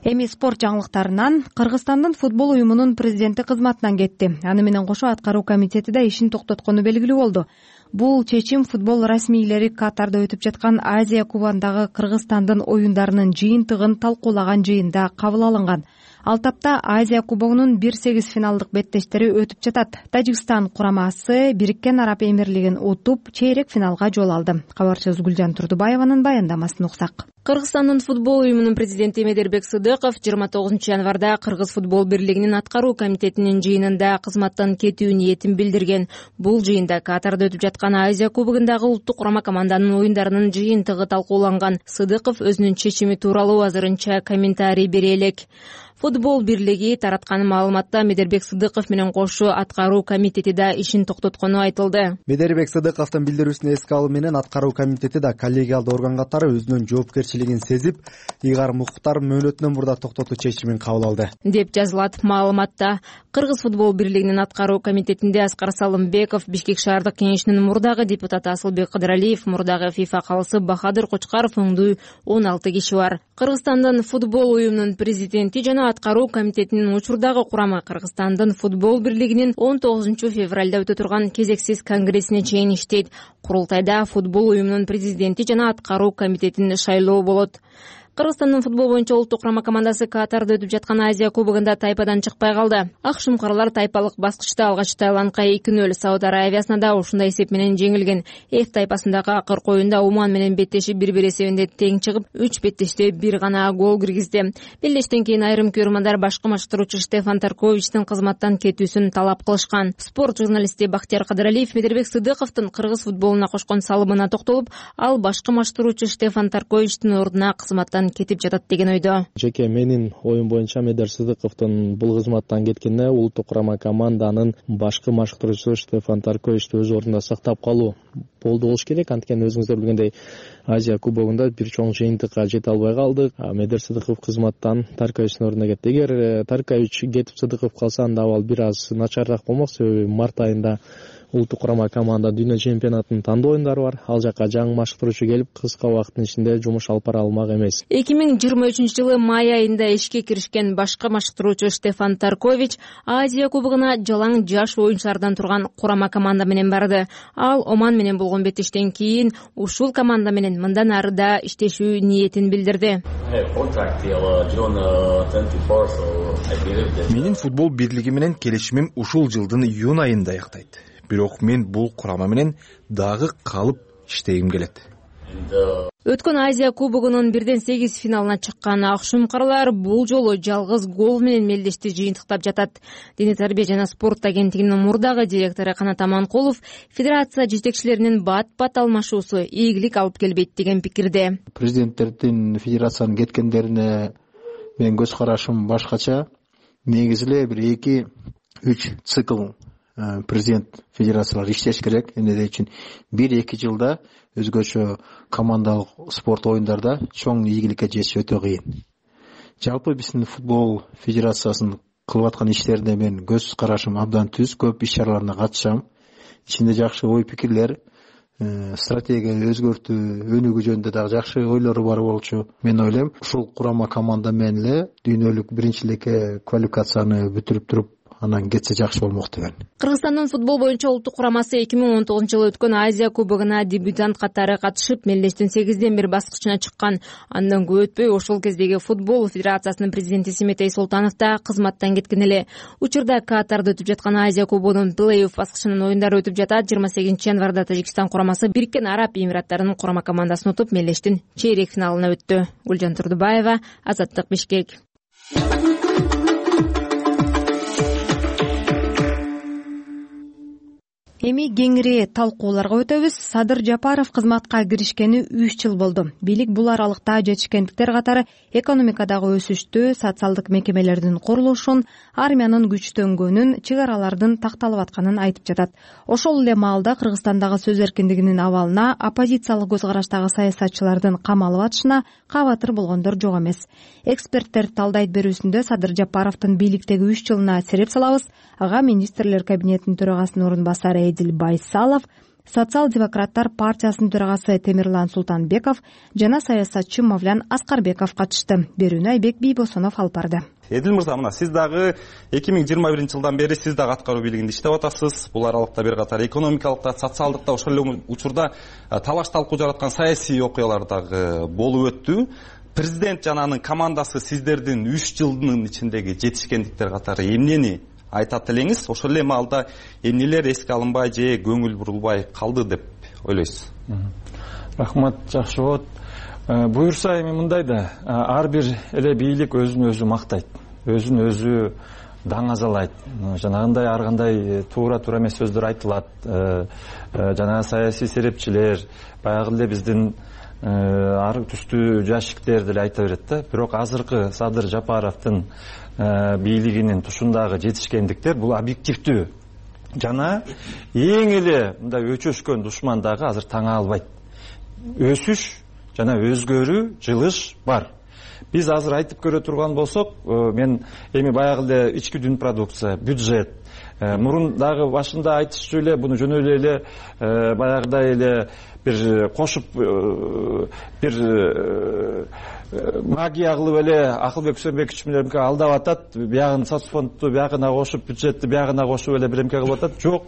Эми спорт жаңылыктарынан Кыргызстандын футбол уюмунун президенти кызматынан кетти. Аны менен кошо аткаруу комитети да ишин токтоткону белгилүү болду. Бул чечим футбол расмийлери Катарда өтүп жаткан Азия кубогундагы Кыргызстандын оюндарынын жыйынтыгын талкуулаган жыйында кабыл алынган. Ал тапта Азия кубогунун 1-8 финалдык беттештери өтүп жатат. Тажикстан курамасы Бириккен Араб Эмирлигин утуп, чейрек финалга жол алды. Кабарчыбыз Гүлжан Турдубаеванын баяндамасын уксак. Кыргызстандын футбол уюмунун президенти Медербек Сыдыков 29 январда Кыргыз футбол бирлигинин аткаруу комитетинин жыйынында кызматтан кетүү ниетин билдирген. Бул жыйында Катарда өтүп жаткан Азия кубогундагы улуттук курама команданын оюндарынын жыйынтыгы талкууланган. Сыдыков өзүнүн чечими тууралуу азырынча комментарий бере элек. Футбол бирлиги тараткан маалыматта Медербек Сыдыков менен кошо аткаруу комитети да ишин токтоткону айтылды. Медербек Сыдыковдун билдирүүсүн эске алуу менен аткаруу комитети да коллегиалдуу орган катары өзүнүн жоопкерчилигин сезип, ыйгарым укуктар мөөнөтүнөн мурда токтотуу чечимин кабыл алды, деп жазылат маалыматта. Кыргыз футбол бирлигинин аткаруу комитетинде Аскар Салымбеков, Бишкек шаардык кеңешинин мурдагы депутаты Асылбек Кыдыралиев, мурдагы ФИФА калысы Бахадыр Кочкаров өңдүү 16 киши бар. Кыргызстандын футбол уюмунун президенти жана аткаруу комитетинин учурдагы курамы Кыргызстандын футбол бирлигинин 19 февралда өтө турган кезексиз конгрессине чейин иштейт. Курултайда футбол уюмунун президенти жана аткаруу комитетин шайлоо болот. Кыргызстандын футбол боюнча улуттук курама командасы Катарда өтүп жаткан Азия кубогунда тайпадан чыкпай калды. Ак шумкарлар тайпалык баскычта алгач Таиландка 2-0 Сауд Аравиясына да ушундай эсеп менен жеңилген. F тайпасындагы акыркы оюнда Уман менен беттешип 1-1 эсебинде тең чыгып, 3 беттеште бир гана гол киргизди. Белдештен кийин айрым көрөрмандар башкы маштыруучу Штефан Тарковичтин кызматтан кетүүсүн талап кылышкан. Спорт журналисти Бактияр Кыдыралиев Медербек Сыдыковдун кыргыз футболуна кошкон салымына токтолуп, ал башкы маштыруучу Штефан Тарковичтин ордуна кызматтан кетип жатат деген ойдо. Жеке менин оюм боюнча Медербек Сыдыковдун бул кызматтан кеткенине улуттук курама команданын башкы машыктыруучусу Штефан Тарковичти өз ордунда сактап калуу болду болуш керек. Анткени өзүңүздөр билгендей Азия кубогунда бир чоң жыйынтыкка жете албай калдык. Медербек Сыдыков кызматтан Тарковичтин ордуна кетти. Эгер Таркович кетип Сыдыков калса, анда абал бир аз начарыраак болмок. Себеби март айында улуттук курама команда дүйнө чемпионатынын тандоо оюндары бар. Ал жака жаңы машыктыруучу келип, кыска убакыттын ичинде жумуш алып бара алмак эмес. 2023 жылы май айында ишке киришкен башкы машыктыруучу Штефан Таркович Азия кубогуна жалаң жаш оюнчулардан турган курама команда менен барды. Ал Оман менен болгон беттештен кийин ушул команда менен мындан ары да иштешүү ниетин билдирди. Менин футбол бирлиги менен келишимим ушул жылдын июнь айында аяктайт. Бирок мен бул курама менен дагы калып иштегим келет. Өткөн Азия кубогунун 1-8 финалына чыккан Акшумкарлар бул жолу жалгыз гол менен мелдешти жыйынтыктап жатат. Дене тарбия жана спорт агенттигинин мурдагы директору Канат Аманкулов федерация жетекчилеринин бат-бат алмашуусу ийгилик алып келбейт деген пикирде. Президенттердин федерациянын кеткендерине менин көз карашым башкача. Негизи эле бир 2-3 цикл президент федерациялар иштеш керек. Эмне үчүн 1-2 жылда өзгөчө командалык спорт оюндарда чоң ийгиликке жетиш өтө кыйын. Жалпы биздин футбол федерациясынын кылып аткан иштерине мен көз карашым абдан түз, көп иш чараларына катышам. Ичинде жакшы ой пикирлер, стратегия өзгөртүү, өнүгүү жөнүндө дагы жакшы ойлору бар болчу. Мен ойлойм, ушул курама команда менен эле дүйнөлүк биринчиликке квалификацияны бүтүрүп туруп анан кетсе жакшы болмок деген. Кыргызстандын футбол боюнча улуттук курамасы 2019-жылы өткөн Азия кубогуна дебютант катары катышып, мелдештин 8-1 баскычына чыккан. Андан көп өтпөй ошол кездеги футбол федерациясынын президенти Симетей Султанов да кызматтан кеткен эле. Учурда Катарда өтүп жаткан Азия кубогунун плей-офф баскычынын оюндары өтүп жатат. 28 январда Тажикстан курамасы Бириккен Араб Эмираттарынын курама командасын утуп, мелдештин чейрек финалына өттү. Гүлжан Турдубаева, Азаттык, Бишкек. Эми кеңири талкууларга өтөбүз. Садыр Жапаров кызматка киришкени 3 жыл болду. Бийлик бул аралыкта жетишкендиктер катары экономикадагы өсүштү, социалдык мекемелердин курулушун, армиянын күчтөнгөнүн, чек аралардын такталып атканын айтып жатат. Ошол эле маалда Кыргызстандагы сөз эркиндигинин абалына, оппозициялык көз караштагы саясатчылардын камалып атышына кабатыр болгондор жок эмес. Эксперттер талдайт берүүсүндө Садыр Жапаровдун бийликтеги 3 жылына сереп салабыз. Ага министрлер кабинетинин төрагасынын орун басары Эдил Байсалов, Социал-демократтар партиясынын төрагасы Темирлан Султанбеков жана саясатчы Мавлян Аскарбеков катышты. Берүүнү Айбек Бийбосонов алып барды. Эдил мырза, мына сиз дагы 2021-жылдан бери сиз дагы аткаруу бийлигинде иштеп атасыз. Бул аралыкта бир катар экономикалык да, социалдык да, ошол эле учурда талаш талкуу жараткан саясий окуялар дагы болуп өттү. Президент жана анын командасы сиздердин 3 жылдын ичиндеги жетишкендиктер катары эмнени айтат элеңиз? Ошол эле маалда эмнелер эске алынбай же көңүл бурулбай калды деп ойлойсуз? Рахмат, жакшы болот. Буюрса эми мындай да, ар бир эле бийлик өзүн өзү мактайт, өзүн өзү даңазалайт. Жанагындай ар кандай туура эмес сөздөр айтылат. Жана саясий серепчилер, баягы эле биздин ар түстүү жашиктер деле айта берет да. Бирок азыркы Садыр Жапаровдун бийлигинин тушундагы жетишкендиктер бул объективдүү жана эң эле мындай өчөшкөн душман дагы азыр таңа албайт. Өсүш жана өзгөрүү, жылыш бар. Биз азыр айтып көрө турган болсок, мен эми баягы эле ички дүн продукция, бюджет, мурун дагы башында айтышчу эле буну жөн эле баягыдай эле бир кошуп бир магия кылып эле Акылбек Үсөнбекович менен алдап атат, биягын соцфондду биягына кошуп, бюджетти биягына кошуп эле биремке кылып атат. Жок.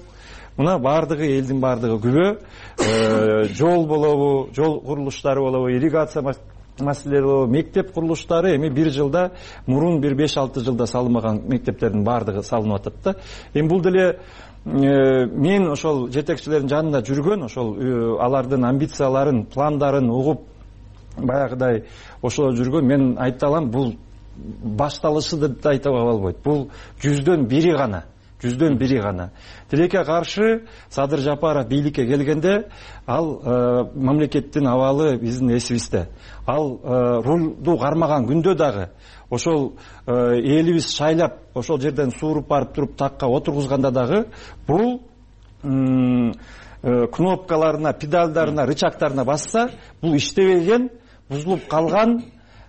Мына бардыгы элдин бардыгы күбө. Жол болобу, жол курулуштары болобу, ирригация маселелери болобу, мектеп курулуштары эми бир жылда, мурун бир 5-6 жылда салынбаган мектептердин бардыгы салынып атат да. Эми бул деле мен ошол жетекчилердин жанында жүргөн, ошол алардын амбицияларын, пландарын угуп баягыдай ошол жүргөн, мен айта алам, бул башталышы деп айтууга болбойт. Бул 100дөн 1 гана. 100дөн 1 гана. Тилекке каршы Садыр Жапаров бийликке келгенде, ал мамлекеттин абалы биздин эсибизде. Ал рулду кармаган күндө дагы ошол элибиз шайлап, ошол жерден сууруп барып туруп такка отургузганда дагы бул кнопкаларына, педалдарына, рычагтарына басса, бул иштебеген, бузулуп калган,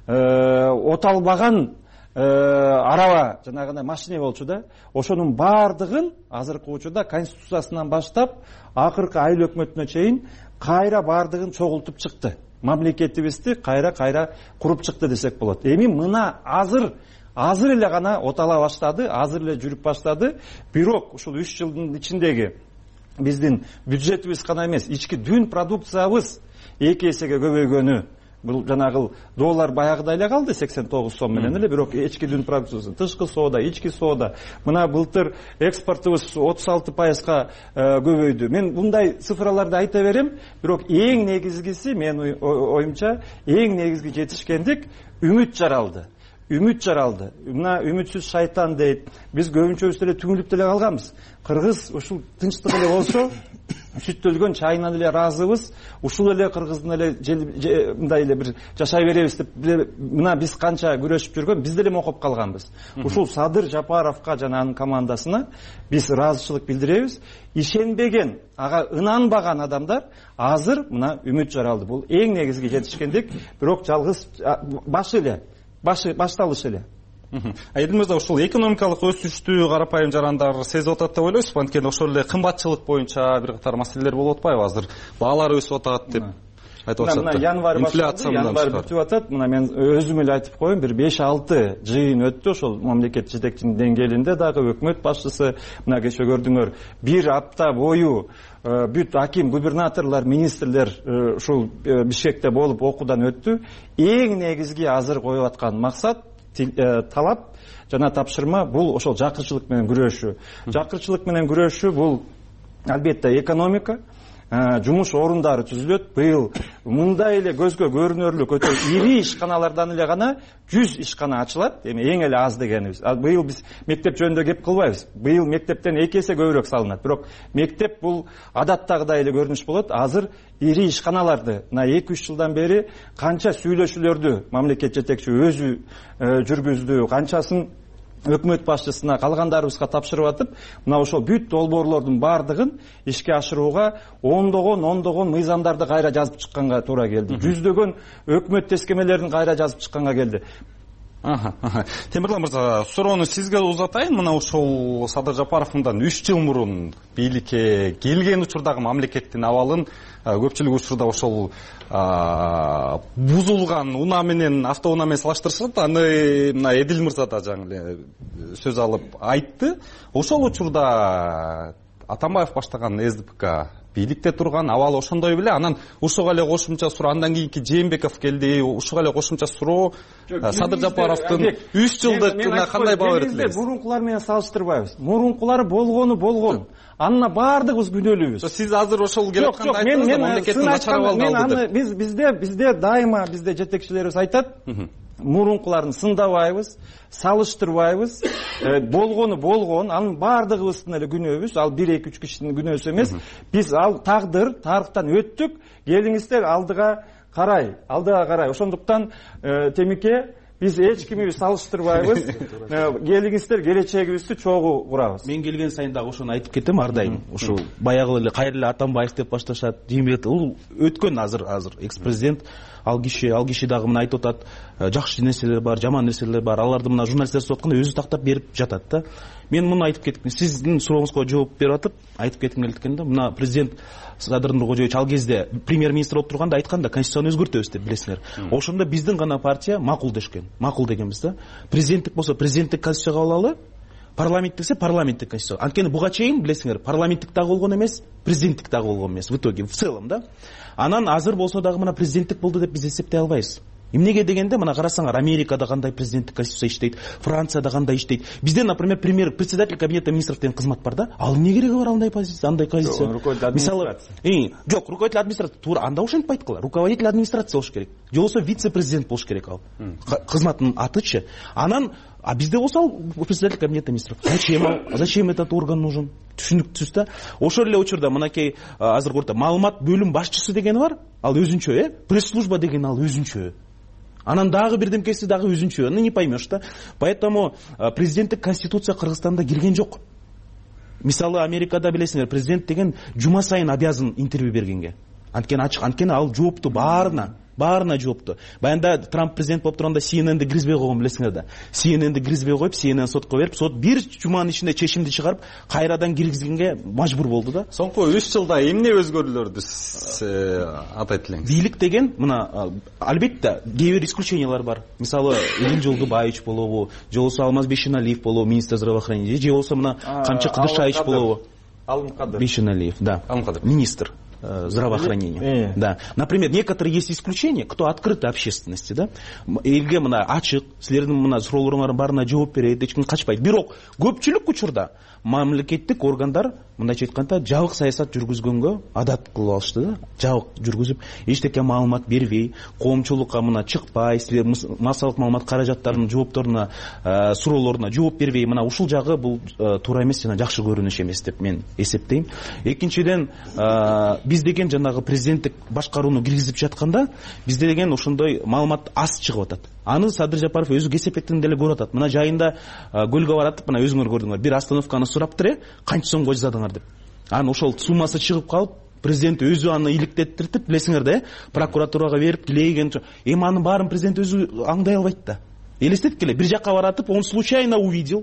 оталбаган араба, жанагындай машина болчу да. Ошонун бардыгын азыркы учурда конституциясынан баштап акыркы айыл өкмөтүнө чейин кайра бардыгын чогултуп чыкты. Мамлекетибизди кайра куруп чыкты десек болот. Эми мына азыр эле гана отала баштады, азыр эле жүрүп баштады. Бирок ушул 3 жылдын ичиндеги биздин бюджетибиз гана эмес, ички дүн продукциябыз 2 эсеге көбөйгөнү бул жанагы доллар баягыдай эле калды 89 сом менен эле, бирок ички дүн продукциясы, тышкы соода, ички соода мына былтыр экспортубуз 36%га көбөйдү. Мен мындай цифраларды айта берем, бирок эң негизгиси менин оюмча эң негизги жетишкендик үмүт жаралды. Үмүт жаралды. Мына үмүтсүз шайтан дейт. Биз көбүнчөбүз деле түңүлүп деле калганбыз. Кыргыз ушул тынчтык эле болсо, сүттөлгөн чайынан эле ыраазыбыз. Ушул эле кыргыздын эле мындай эле бир жашай беребиз деп мына биз канча күрөшүп жүргөн, биз деле мокуп калганбыз. Ушул Садыр Жапаровго жана анын командасына биз ыраазычылык билдиребиз. Ишенбеген, ага ынанбаган адамдар азыр мына үмүт жаралды. Бул эң негизги жетишкендик, бирок жалгыз башталыш эле. Эдил мырза, ушул экономикалык өсүштү карапайым жарандар сезип атат деп ойлойсузбу? Анткени ошол эле кымбатчылык боюнча бир катар маселелер болуп атпайбы? Азыр баалар өсүп атат деп айтып атышат. Мына январь башталды, январь бүтүп атат. Мына мен өзүм эле айтып коеюн, бир 5-6 жыйын өттү ошол мамлекет жетекчинин деңгээлинде дагы өкмөт башчысы. Мына кечээ көрдүңөр, бир апта бою бүт аким, губернаторлор, министрлер ушул Бишкекте болуп окуудан өттү. Эң негизги азыр коюп аткан максат, талап жана тапшырма бул ошол жакырчылык менен күрөшүү. Жакырчылык менен күрөшүү бул албетте экономика, жумуш орундары түзүлөт. Быйыл мындай эле көзгө көрүнөрлүк өтө ири ишканалардан эле гана 100 ишкана ачылат. Эми эң эле аз дегенибиз. Быйыл биз мектеп жөнүндө кеп кылбайбыз. Быйыл мектептен 2 эсе көбүрөөк салынат. Бирок мектеп бул адаттагыдай эле көрүнүш болот. Азыр ири ишканаларды мына 2-3 жылдан бери канча сүйлөшүүлөрдү мамлекет жетекчи өзү жүргүздү, канчасын өкмөт башчысына, калгандарыбызга тапшырып атып, мына ошол бүт долбоорлордун баардыгын ишке ашырууга ондогон мыйзамдарды кайра жазып чыкканга туура келди. Жүздөгөн өкмөт тескемелерин кайра жазып чыкканга келди. Темирлан мырза, суроону сизге узатайын. Мына ушул Садыр Жапаров мындан 3 жыл мурун бийликке келген учурдагы мамлекеттин абалын көпчүлүк учурда ошол бузулган унаа менен, автоунаа менен салыштырышат. Аны мына Эдил мырза да жаңы эле сөз алып айтты. Ошол учурда Атамбаев баштаган СДПК бийликте турган, абал ошондой беле. Анан ушуга эле кошумча суроо, андан кийинки Жээнбеков келди, ушуга эле кошумча суроо Садыр Жапаровдун 3 жылдык кандай баа берет? Мурункулар менен салыштырбайбыз. Мурункулар болгон. Анына баардыгыбыз күнөөлүүбүз. Сиз азыр ошол келип атканда айттыңыз да, мамлекеттин начар абалын алды деп. Бизде дайыма бизде жетекчилерибиз айтат, мурункуларын сындабайбыз, салыштырбайбыз. Болгон, анын баардыгыбыздын эле күнөөбүз. Ал 1-2-3 кишинин күнөөсү эмес. Биз ал тарыхтан өттүк. Келиңиздер алдыга карай. Ошондуктан Темике, биз эч кимди салыштырбайбыз. Келиңиздер, келечегибизди чогуу курабыз. Мен келген сайын дагы ошону айтып кетем ар дайым. Ушул баягы эле кайрылы Атамбаев деп башташат. Жээнбеков бул өткөн азыр экс-президент. Ал киши дагы мына айтып атат, жакшы нерселер бар, жаман нерселер бар. Аларды мына журналисттер сотуп атканда өзү тактап берип жатат да. Мен муну айтып кетким, сиздин сурооңузга жооп берип атып, айтып кетким келет экен да. Мына президент Садыр Нуркожоевич ал кезде премьер-министр болуп турганда айткан да, конституцияны өзгөртөбүз деп, билесиңер. Ошондо биздин гана партия макул дешкен. Макул дегенбиз да. Президенттик болсо президенттик конституция кабыл алалы, парламенттиксе парламенттик конституция. Анткени буга чейин билесиңер, парламенттик дагы болгон эмес, президенттик дагы болгон эмес в итоге, в целом да. Анан азыр болсо дагы мына президенттик болду деп биз эсептей албайбыз. Эмнеге дегенде, мына карасаңар, Америкада кандай президенттик конституция иштейт, Францияда кандай иштейт. Бизде, например, председатель кабинета министров деген кызмат бар да. Ал эмне кереги бар андай позиция, андай позиция? Мисалы, жок, руководитель администрации туура анда ошентип айткыла. Руководитель администрации болуш керек. Же болбосо вице-президент болуш керек ал. Кызматтын атычы. Анан бизде болсо ал председатель кабинета министров. Зачем этот орган нужен? Түшүнүктүүсүз да. Ошол эле учурда мынакей азыр көрдү, маалымат бөлүм башчысы деген бар. Ал өзүнчө, пресс-служба деген ал өзүнчө. Анан дагы бирдемкеси дагы өзүнчө. Не поймешь да. Поэтому президенттик конституция Кыргызстанда кирген жок. Мисалы Америкада билесиңер, президент деген жума сайын обязан интервью бергенге. Анткени ал жоопту баарына жоопту. Баянда Трамп президент болуп турганда CNN-ди киргизбей койгон, билесиңер да. CNN-ди киргизбей коюп, CNN сотко берип, сот бир жуманын ичинде чечимди чыгарып, кайрадан киргизгенге мажбур болду да. Соңку 3 жылда эмне өзгөрүүлөрдү атайт элеңиз? Бийлик деген мына албетте кээ бир исключениялар бар. Мисалы Элин Жолдубаевич болобу, же болбосо Алмаз Бейшеналиев болобу, министр здравоохранения, же болбосо мына Камчы Кыдыршаевич болобу. Алымкадыр Бейшеналиев, да. Алымкадыр министр. здравоохранения. Да. Например, некоторые есть исключения, кто открыты общественности, да. Элге мына ачык, силердин мына суроолоруңардын баарына жооп берет, эч ким качпайт. Бирок көпчүлүк учурда мамлекеттик органдар мындайча айтканда жабык саясат жүргүзгөнгө адат кылып алышты да. Жабык жүргүзүп, эчтеке маалымат бербей, коомчулукка мына чыкпай, силер массалык маалымат каражаттарынын жоопторуна, суроолоруна жооп бербей, мына ушул жагы бул туура эмес жана жакшы көрүнүш эмес деп мен эсептейм. Экинчиден, биз деген жанагы президенттик башкарууну киргизип жатканда, бизде деген ошондой маалымат аз чыгып атат. Аны Садыр Жапаров өзү кесепеттен деле көрүп атат. Мына жайында көлгө баратып, мына өзүңөр көрдүңөр, бир остановканы сураптыр, канча сомго жасадыңар деп. Анан ошол суммасы чыгып калып, президент өзү аны иликтеттиртип, билесиңер да, прокуратурага берип, тилейген. Эми анын баарын президент өзү аңдай албайт да. Элестеткиле, бир жакка баратып, он случайно увидел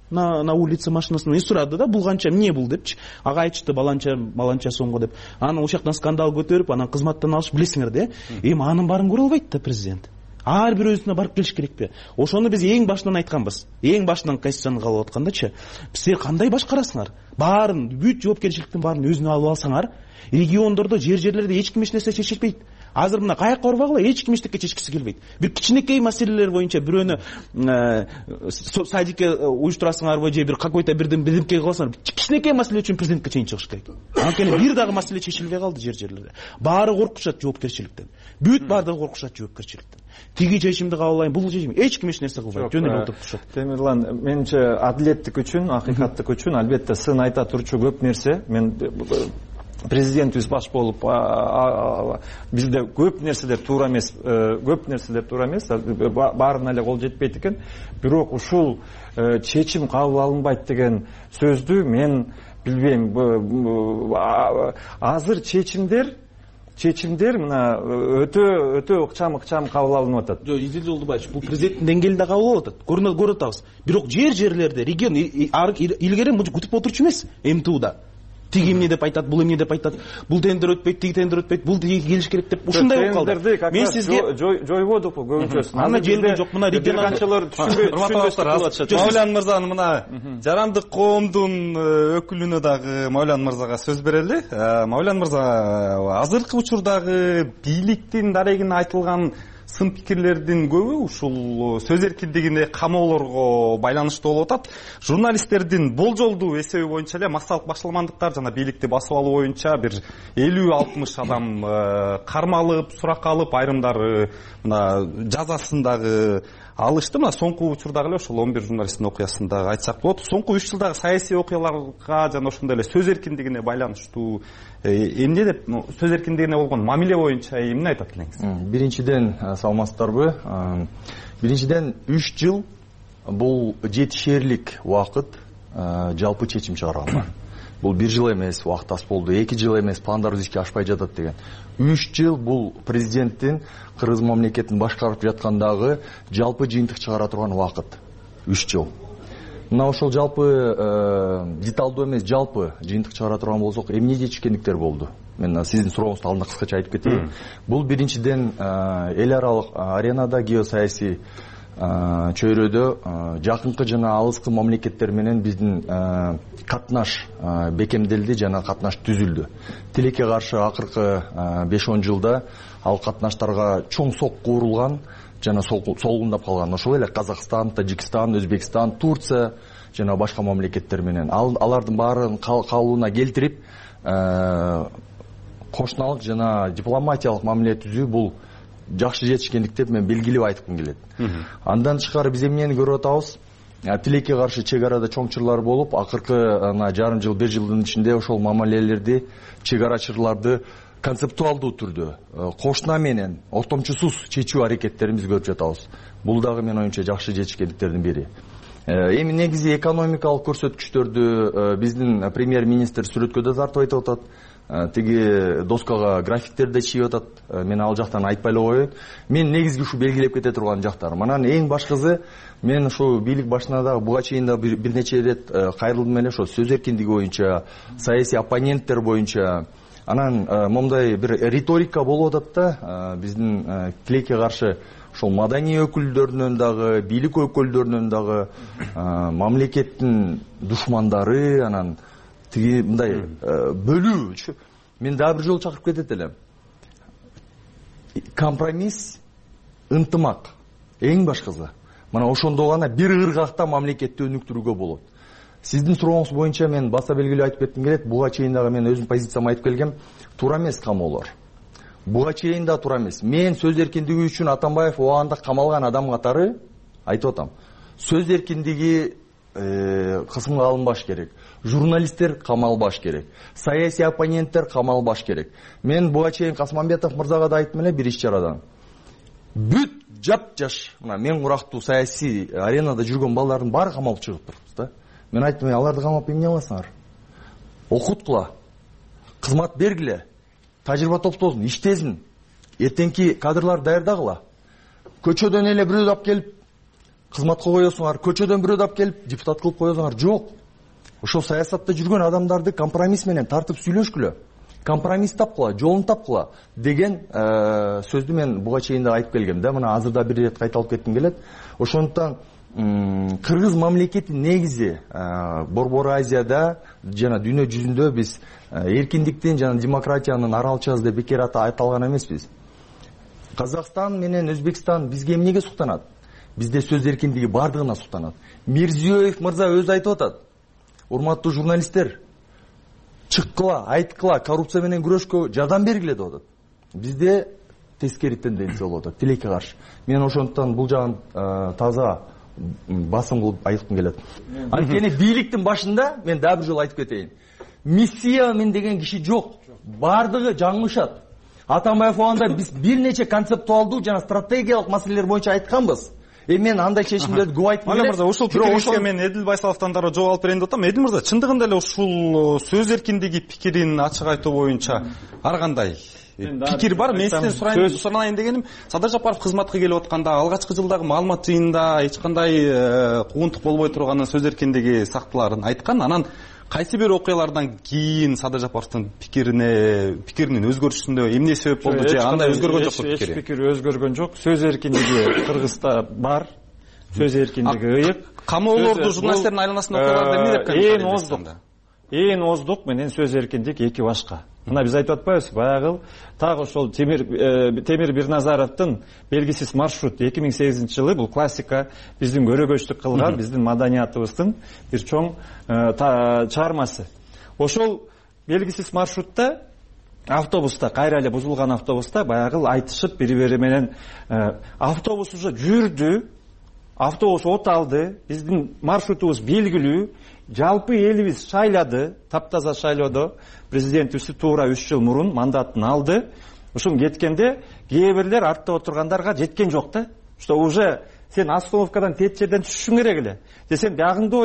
на улице машинасын, и сурады да, бул канча, эмне бул депчи. Ага айтышты, баланча сомго деп. Анан ошол жактан скандал көтөрүп, анан кызматтан алышып, билесиңер да. Эми анын баарын көрө албайт да президент. Ар бир өзүнө барып келиш керекпи? Ошону биз эң башынан айтканбыз. Эң башынан Конституцияны кабыл аткандачы, силер кандай башкарасыңар? Баарын, бүт жоопкерчиликтин баарын өзүнө алып алсаңар, региондордо, жерлерде эч ким эч нерсе чечилбейт. Азыр мына каяка барбагыла, эч ким эчтеке чечкиси келбейт. Бир кичинекей маселелер боюнча бирөөнү садикке уюштурасыңарбы же бир какой-то бирдемке кыласыңар, кичинекей маселе үчүн президентке чейин чыгыш керек. Анткени бир дагы маселе чечилбей калды жерлерде. Баары коркушат жоопкерчиликтен. Бүт баардыгы коркушат жоопкерчиликтен. Тиги чечимди кабыл алайын, бул чечим, эч ким эч нерсе кылбайт. Жөн эле отуруп турушат. Темирлан, менимче адилеттик үчүн, акыйкаттык үчүн албетте сын айта турчу көп нерсе. Мен президентибиз баш болуп бизде көп нерселер туура эмес, баарына эле кол жетпейт экен. Бирок ушул чечим кабыл алынбайт деген сөздү мен билбейм. Азыр чечимдер мына өтө ыкчам кабыл алынып атат. Жок, Изилдин Жолдубаевич, бул президенттин деңгээлинде кабыл алып атат. Көрүп атабыз. Бирок жерлерде, регион илгери мынча күтүп отурчу эмес МТУда. Тиги эмне деп айтат, бул эмне деп айтат, бул тендер өтпөйт, тиги тендер өтпөйт, бул тиги келиш керек деп ушундай болуп калды. Мен сизге жойбодук көбүнчөсүн. Аны желген жок, мына регионалчылар түшүнбөй. Мавлян мырзанын мына жарандык коомдун өкүлүнө дагы Мавлян мырзага сөз берели. Мавлян мырза, азыркы учурдагы бийликтин дарегине айтылган сын пикирлердин көбү ушул сөз эркиндигине камоолорго байланыштуу болуп атат. Журналисттердин болжолдуу эсеби боюнча эле массалык башаламандыктар жана бийликти басып алуу боюнча бир 50-60 адам кармалып, суракка алып, айрымдары мына жазасын дагы алышты. Мына соңку учурдагы эле ошол 11 журналисттин окуясын дагы айтсак болот. Соңку 3 жылдагы саясий окуяларга жана ошондой эле сөз эркиндигине байланыштуу эмне деп, сөз эркиндигине болгон мамиле боюнча эмне айтат элеңиз? Биринчиден, саламатсыздарбы? Биринчиден 3 жыл бул жетишерлик убакыт жалпы чечим чыгарганга. Бул 1 жыл эмес, убакыт аз болду, 2 жыл эмес, пландарыбыз ишке ашпай жатат деген. 3 жыл бул президенттин Кыргыз мамлекетин башкарып жаткандагы жалпы жыйынтык чыгара турган убакыт. 3 жыл. Мына ошол жалпы деталдуу эмес, жалпы жыйынтык чыгара турган болсок, эмне жетишкендиктер болду? Мен сиздин сурооңузду алдында кыскача айтып кетейин. Бул биринчиден эл аралык аренада геосаясий чөйрөдө жакынкы жана алыскы мамлекеттер менен биздин катнаш бекемделди жана катнаш түзүлдү. Тилекке каршы акыркы 5-10 жылда ал катнаштарга чоң сокку урулган жана солгундап калган. Ошол эле Казакстан, Тажикстан, Өзбекстан, Турция жана башка мамлекеттер менен алардын баарын калыбына келтирип кошуналык жана дипломатиялык мамиле түзүү бул жакшы жетишкендик деп мен белгилеп айткым келет. Андан тышкары биз эмнени көрүп атабыз? Тилекке каршы чек арада чоңчурлар болуп, акыркы жарым жыл, 1 жылдын ичинде ошол мамилелерди, чек арачыларды концептуалдуу түрдө кошуна менен ортомчусуз чечүү аракеттерин биз көрүп жатабыз. Бул дагы менин оюмча жакшы жетишкендиктердин бири. Эми негизи экономикалык көрсөткүчтөрдү биздин премьер-министр сүрөткө да тартып айтып атат. Тиги доскага графиктерди чийип атат. Мен ал жактан айтпай эле коеюн. Мен негизги ушу белгилеп кете турган жактар. Анан эң башкысы, мен ушу бийлик башына дагы буга чейин да бир нече ирет кайрылдым эле ошо сөз эркиндиги боюнча, саясий оппоненттер боюнча. Анан момундай бир риторика болуп атат да, биздин тилекке каршы ошол маданий өкүлдөрүнөн дагы, бийлик өкүлдөрүнөн дагы мамлекеттин душмандары, анан тиги мындай бөлүү мен дагы бир жолу чакырып кетет элем. Компромисс, ынтымак эң башкысы. Мына ошондо гана бир ыргакта мамлекетти өнүктүрүүгө болот. Сиздин сурооңуз боюнча мен баса белгилүү айтып кетким келет. Буга чейин дагы мен өзүмдүн позициямды айтып келгем. Туура эмес камоолор. Буга чейин да туура эмес. Мен сөз эркиндиги үчүн Атамбаев убагында камалган адам катары айтып атам. Сөз эркиндиги кысымга алынбаш керек. Журналисттер камалбаш керек. Саясий оппоненттер камалбаш керек. Мен буга чейин Касмамбетов мырзага да айттым эле бир иш чарадан. Бүт жап-жаш, мен курактуу саясий аренада жүргөн балдардын баары камалып чыгып туруппуз да. Мен айттым, аларды камап эмне кыласыңар? Окуткула, кызмат бергиле, тажрыйба топтосун, иштесин, эртеңки кадрлар даярдагыла. Көчөдөн эле бирөөдү алып келип кызматка коесуңар, көчөдөн бирөөдү алып келип депутат кылып коесуңар, жок. Ошол саясатта жүргөн адамдарды компромисс менен тартып сүйлөшкүлө. Компромисс тапкыла, жолун тапкыла деген сөздү мен буга чейин да айтып келгем да. Мына азыр да бир ирет кайталап кетким келет. Ошондуктан кыргыз мамлекети негизи Борбор Азияда жана дүйнө жүзүндө биз эркиндиктин жана демократиянын аралчасы деп бекер айталган эмеспиз. Казакстан менен Өзбекстан бизге эмнеге суктанат? Бизде сөз эркиндиги бардыгына суктанат. Мирзиёев мырза өзү айтып атат. Урматтуу журналисттер, чыккыла, айткыла, коррупция менен күрөшкө жардам бергиле деп атат. Бизде тескери тенденция болуп атат, тилекке каршы. Мен ошондуктан бул жагын таза басым кылып айткым келет. Анткени бийликтин башында мен дагы бир жолу айтып кетейин. Миссия мен деген киши жок. Бардыгы жаңылышат. Атамбаев убагында биз бир нече концептуалдуу жана стратегиялык маселелер боюнча айтканбыз. Мен андай чечимдерди көп айткым келет. Мырза, ушул пикириңизге мен Эдил Байсаловдон дагы жооп алып берейин деп атам. Эдил мырза, чындыгында эле ушул сөз эркиндиги пикирин ачык айтуу боюнча ар кандай пикир бар? Мен сизден суранайын дегеним, Садыр Жапаров кызматка келип атканда алгачкы жылдагы маалымат жыйынында эч кандай куугунтук болбой турганын, сөз эркиндиги сактыларын айткан. Анан кайсы бир окуялардан кийин Садыр Жапаровдун пикиринин өзгөрүшүндө эмне себеп болду же андай өзгөргөн жокпу пикири? Эч пикири өзгөргөн жок. Сөз эркиндиги Кыргызда бар. Сөз эркиндиги ыйык. Камоолорду журналисттердин айланасында окуяларды эмне деп камтыйт? Эң оздук менен сөз эркиндик эки башка. Мына биз айтып атпайбызбы? Баягы так ошол Темир Бирназаровдун белгисиз маршрут 2008-жылы бул классика, биздин көрөгөчтүк кылган, биздин маданиятыбыздын бир чоң чыгармасы. Ошол белгисиз маршрутта автобуста, кайра эле бузулган автобуста баягы айтышып бири-бири менен автобус уже жүрдү, автобус от алды, биздин маршрутубуз белгилүү, жалпы элибиз шайлады, таптаза шайлоодо. Президентибиз туура 3 жыл мурун мандатын алды. Ушун кеткенде кээ бирлер артта отургандарга жеткен жок да. Что уже сен остановкадан тет жерден түшүшүң керек эле. Же сен жагыңды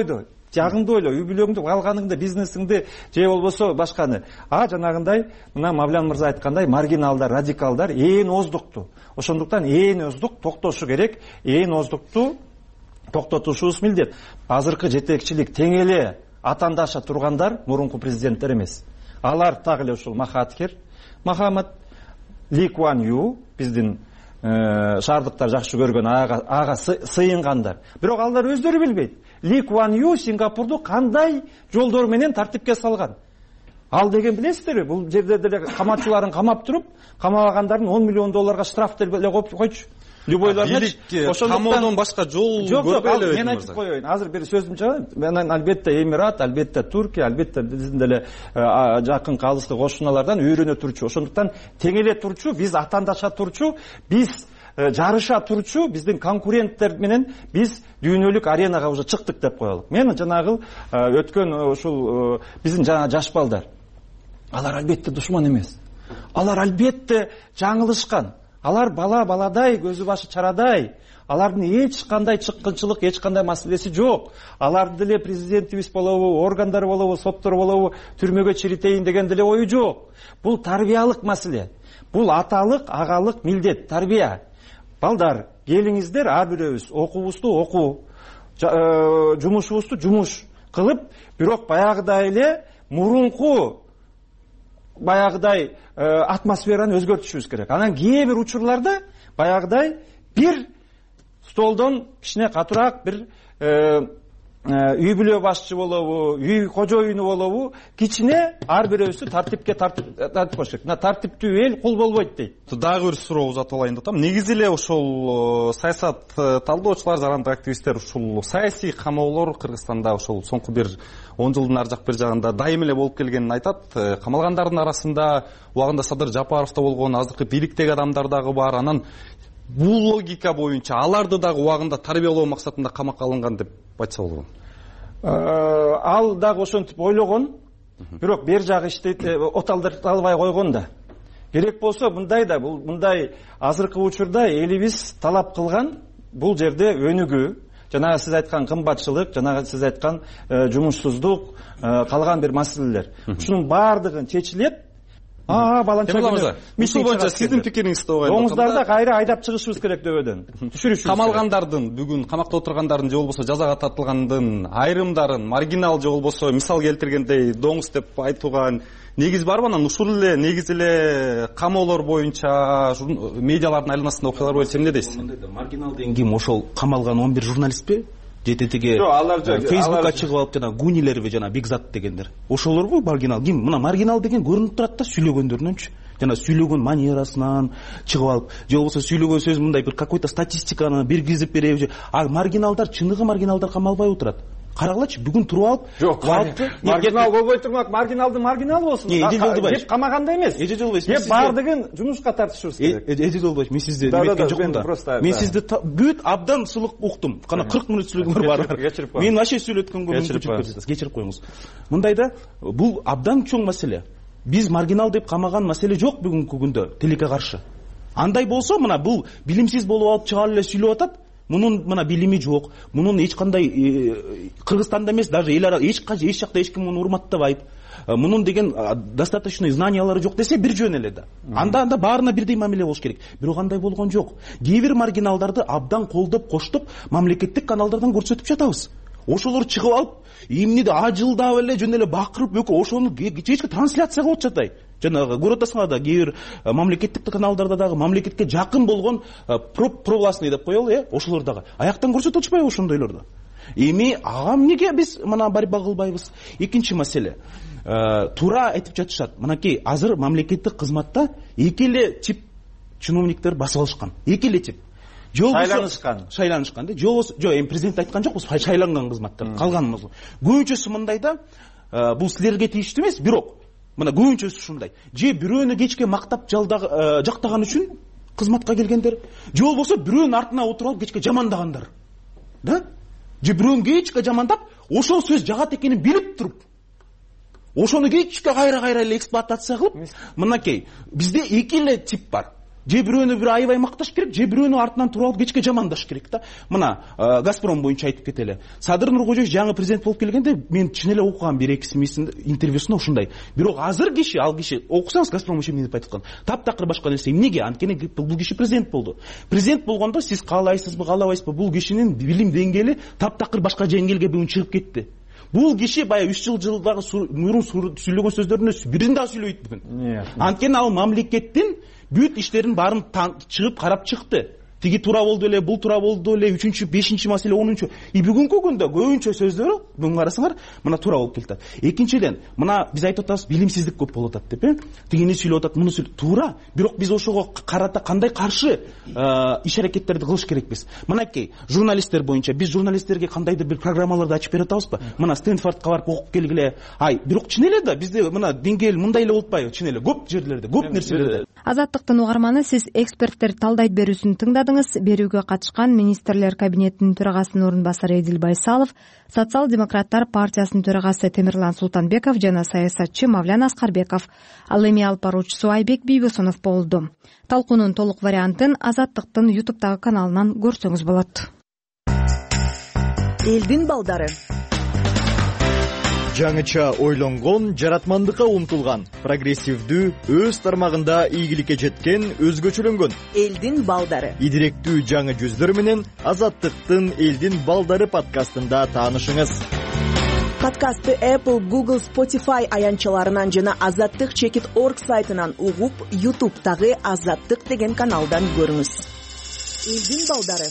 ойло, үй бүлөңдү, алганыңды, бизнесиңди же болбосо башканы. Жанагындай мына Мавлян мырза айткандай маргиналдар, радикалдар ээн оздукту. Ошондуктан ээн оздук токтошу керек. Ээн оздукту токтотушубуз милдет. Азыркы жетекчилик тең эле атандаша тургандар мурунку президенттер эмес. Алар так эле ушул Махатхир, Махамад, Ли Куан Ю, биздин шаардыктар жакшы көргөн ага сыйынгандар. Бирок алар өздөрү билбейт. Ли Куан Ю Сингапурду кандай жолдор менен тартипке салган. Ал деген билесиздерби? Бул жерде деле каматчыларын камап туруп, камабагандардын $10 миллион штраф деле койчу. Любойларына камоодон башка жол көрбөй эле. Мен айтып коеюн. Азыр бир сөзүм чыгат. Мен албетте Эмират, албетте Туркия, албетте биздин деле жакын калыстык кошуналардан үйрөнө турчу. Ошондуктан тең эле турчу, биз атандаша турчу, биз жарыша турчу, биздин конкуренттер менен биз дүйнөлүк аренага уже чыктык деп коелук. Мен жанагы өткөн ушул биздин жана жаш балдар. Алар албетте душман эмес. Алар албетте жаңылышкан. Алар баладай, көзү башы чарадай. Алардын эч кандай чыккынчылык, эч кандай маселеси жок. Алардын деле президентибиз болобу, органдар болобу, соттор болобу, түрмөгө чиритейин деген деле ою жок. Бул тарбиялык маселе. Бул аталык, агалык милдет, тарбия. Балдар, келиңиздер, ар бирөөбүз окуубузду окуу, жумушубузду жумуш кылып, бирок баягыдай эле мурунку баягыдай атмосфераны өзгөртүшүбүз керек. Анан кээ бир учурларда баягыдай бир столдон кичине катуураак бир үй бүлө башчы болобу, үй кожоюну болобу, кичине ар бирөөсү тартипке тартип коюш керек. Мына тартиптүү эл кул болбойт дейт. Дагы бир суроо узатып алайын деп атам. Негизи эле ошол саясат талдоочулар, жарандык активисттер ушул саясий камоолор Кыргызстанда ошол соңку бир 10 жылдын ар жак бир жагында дайым эле болуп келгенин айтат. Камалгандардын арасында убагында Садыр Жапаров да болгон, азыркы бийликтеги адамдар дагы бар. Анан бул логика боюнча аларды дагы убагында тарбиялоо максатында камакка алынган деп айтса болобу? Ал дагы ошентип ойлогон, бирок бер жагы иштейт, оталдырталбай койгон да. Керек болсо мындай азыркы учурда элибиз талап кылган бул жерде өнүгүү, жанагы сиз айткан кымбатчылык, жанагы сиз айткан жумушсуздук, калган бир маселелер. Ушунун баардыгын чечилет. Баланча ушул боюнча сиздин пикириңизди угайын. Доңуздарды кайра айдап чыгышыбыз керек дөбөдөн. Түшүрүшүбүз. Камалгандардын, бүгүн камакта отургандардын же болбосо жазага тартылгандын айрымдарын маргинал же болбосо мисал келтиргендей доңуз деп айтууга негиз барбы? Анан ушул эле негиз эле камоолор боюнча медиалардын айланасында окуялар боюнча эмне дейсиз? Маргинал деген ким? Ошол камалган 11 журналистпи? Жететиги Фейсбукка чыгып алып жана гунилерби жана Бигзат дегендер. Ошолорбу маргинал? Ким? Мына маргинал деген көрүнүп турат да сүйлөгөндөрүнөнчү. Жана сүйлөгөн манерасынан чыгып алып, же болбосо сүйлөгөн сөз мындай бир какой-то статистиканы биргизип береби. Маргиналдар, чыныгы маргиналдар камалбай отурат. Карагылачы, бүгүн туруп алып, жок, маргинал болбой турмак, маргиналдын маргинал болсун. Деп камаганда эмес. Деп баардыгын жумушка тартышыбыз керек. Эже Жолдобаевич, мен сизди эметкен жокмун да. Мен сизди бүт абдан сулук уктум. Кана 40 мүнөт сүйлөгөндөр бар. Мен вообще сүйлөткөнгө мүмкүнчүлүк берсеңиз, кечирип коюңуз. Мындайда бул абдан чоң маселе. Биз маргинал деп камаган маселе жок бүгүнкү күндө тилекке каршы. Андай болсо, мына бул билимсиз болуп алып чыга эле сүйлөп атат. Мунун мына билими жок, мунун эч кандай Кыргызстанда эмес, даже эл ара эч жакта эч ким муну урматтабайт. Мунун деген достаточно знаниялары жок десе бир жөн эле да. Анда баарына бирдей мамиле болуш керек. Бирок андай болгон жок. Кээ бир маргиналдарды абдан колдоп, коштоп, мамлекеттик каналдардан көрсөтүп жатабыз. Ошолор чыгып алып, эмнеде ажылдап эле жөн эле бакырып, ошону кечке трансляция кылып жатат. Жанагы көрүп атасыңар да, кээ бир мамлекеттик каналдарда дагы мамлекетке жакын болгон провластный деп коелу, ошолор дагы аяктан көрсөтүп атышпайбы ошондойлорду? Эми ага эмнеге биз мына барба кылбайбыз? Экинчи маселе. Туура айтып жатышат. Мынакей азыр мамлекеттик кызматта эки эле тип чиновниктер басып алышкан. Эки эле тип. Шайланышкан да. Жок, эми президент айткан жокпуз, шайланган кызматтар. Калганымыз. Көбүнчөсү мындайда, бул силерге тийиштүү эмес, бирок мына көбүнчөсү ушундай. Же бирөөнү кечке мактап жактаган үчүн кызматка келгендер, же болбосо бирөөнүн артына отуруп алып кечке жамандагандар. Да? Же бирөөнү кечке жамандап, ошол сөз жагат экенин билип туруп, ошону кечке кайра эле эксплуатация кылып, мынакей бизде эки эле тип бар. Же бирөөнү бир аябай макташ керек, же бирөөнү артынан туруп алып кечке жамандаш керек да. Мына Газпром боюнча айтып кетели. Садыр Нуркожоевич жаңы президент болуп келгенде мен чын эле окугам бир экисин интервьюсунда ушундай. Бирок азыр ал киши окусаңыз Газпром үчүн эмне деп айткан? Таптакыр башка нерсе. Эмнеге? Анткени бул киши президент болду. Президент болгондо сиз каалайсызбы, каалабайсызбы, бул кишинин билим деңгээли таптакыр башка деңгээлге бүгүн чыгып кетти. Бул киши баягы 3 жылдагы мурун сүйлөгөн сөздөрдүн бирин да сүйлөбөйт бүгүн. Анткени ал мамлекеттин бүт иштерин баарын чыгып карап чыкты. Тиги туура болду эле, бул туура болду эле, 3-чү, 5-чи маселе, 10-чу. Бүгүнкү күндө көбүнчө сөздөрү бүгүн карасаңар мына туура болуп келет. Экинчиден, мына биз айтып атабыз билимсиздик көп болуп атат деп, Тигини сүйлөп атат, муну сүйлөп туура, бирок биз ошого карата кандай каршы иш аракеттерди кылыш керекпиз? Мынакей журналисттер боюнча биз журналисттерге кандайдыр бир программаларды ачып бере атабызбы? Мына Стэнфордко барып окуп келгиле. Бирок чын эле да бизде мына деңгээл мындай эле болуп атпайбы? Чын эле көп жерлерде, көп нерселерде. Азаттыктын угарманы, сиз эксперттер талдайт берүүсүн тыңдадыңыз. Берүүгө катышкан министрлер кабинетинин төрагасынын орун басары Эдил Байсалов, Социал-демократтар партиясынын төрагасы Темирлан Султанбеков жана саясатчы Мавлян Аскарбеков. Ал эми алып баруучусу Айбек Бийбосунов болду. Талкуунун толук вариантын Азаттыктын YouTube'дагы каналынан көрсөңүз болот. Элдин балдары. Жаңыча ойлонгон, жаратмандыкка умтулган, прогрессивдүү, өз тармагында ийгиликке жеткен, өзгөчөлөнгөн элдин балдары. Идиректүү жаңы жүздөр менен Азаттыктын Элдин балдары подкастында таанышыңыз. Подкастты Apple, Google, Spotify аянтчаларынан жана azattik.org сайтынан угуп, YouTube'дагы Азаттык деген каналдан көрүңүз. Элдин балдары.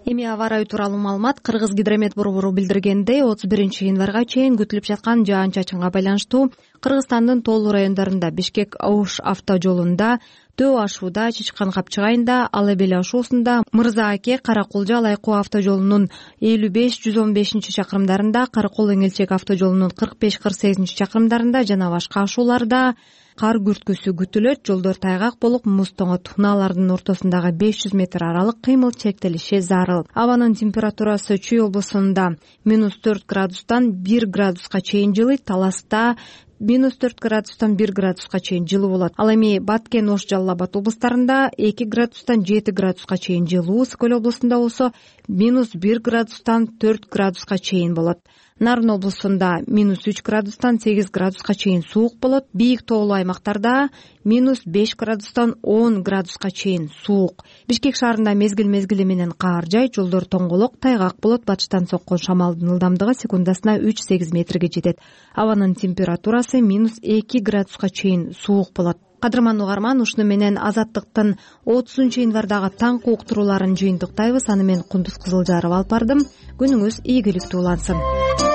Эми аба ырайы тууралуу маалымат. Кыргыз гидромет борбору билдиргендей, 31 январга чейин күтүлүп жаткан жаан-чачынга байланыштуу Кыргызстандын тоолуу райондорунда Бишкек-Ош автожолунда, Төө-Ашууда, Чычкан-Капчык айында, Ала Бел ашуусунда, Мырза Аке, Каракулжа-Алайкуу автожолунун 55-115 чакырымдарында, Каракол-Эңелчек автожолунун 45-48 чакырымдарында жана башка ашууларда кар күрткүсү күтүлөт. Жолдор тайгак болуп, муз тоңот. Унаалардын ортосундагы 500 метр аралык кыймыл чектелиши зарыл. Абанын температурасы Чүй облусунда -4 градустан 1 градуска чейин жылыйт. Таласта -4 градустан 1 градуска чейин жылуу болот. Ал эми Баткен, Ош, Жалал Абад облустарында 2 градустан 7 градуска чейин жылуу. Сыкөл облусунда болсо -1 градустан 4 градуска чейин болот. Нарын облусунда -3 градустан 8 градуска чейин суук болот. Бийик тоолуу аймактарда -5 градустан 10 градуска чейин суук. Бишкек шаарында мезгил менен каар жайт. Жолдор тоңголок, тайгак болот. Батыштан соккон шамалдын ылдамдыгы секундасына 3-8 метрге жетет. Абанын температурасы -2 градуска чейин суук болот. Кадырман угарман, ушуну менен Азаттыктын 30 январдагы таңкы уктурууларын жыйынтыктайбыз. Аны мен Кундуз Кызылжарова алып бардым. Күнүңүз ийгиликтүү улансын.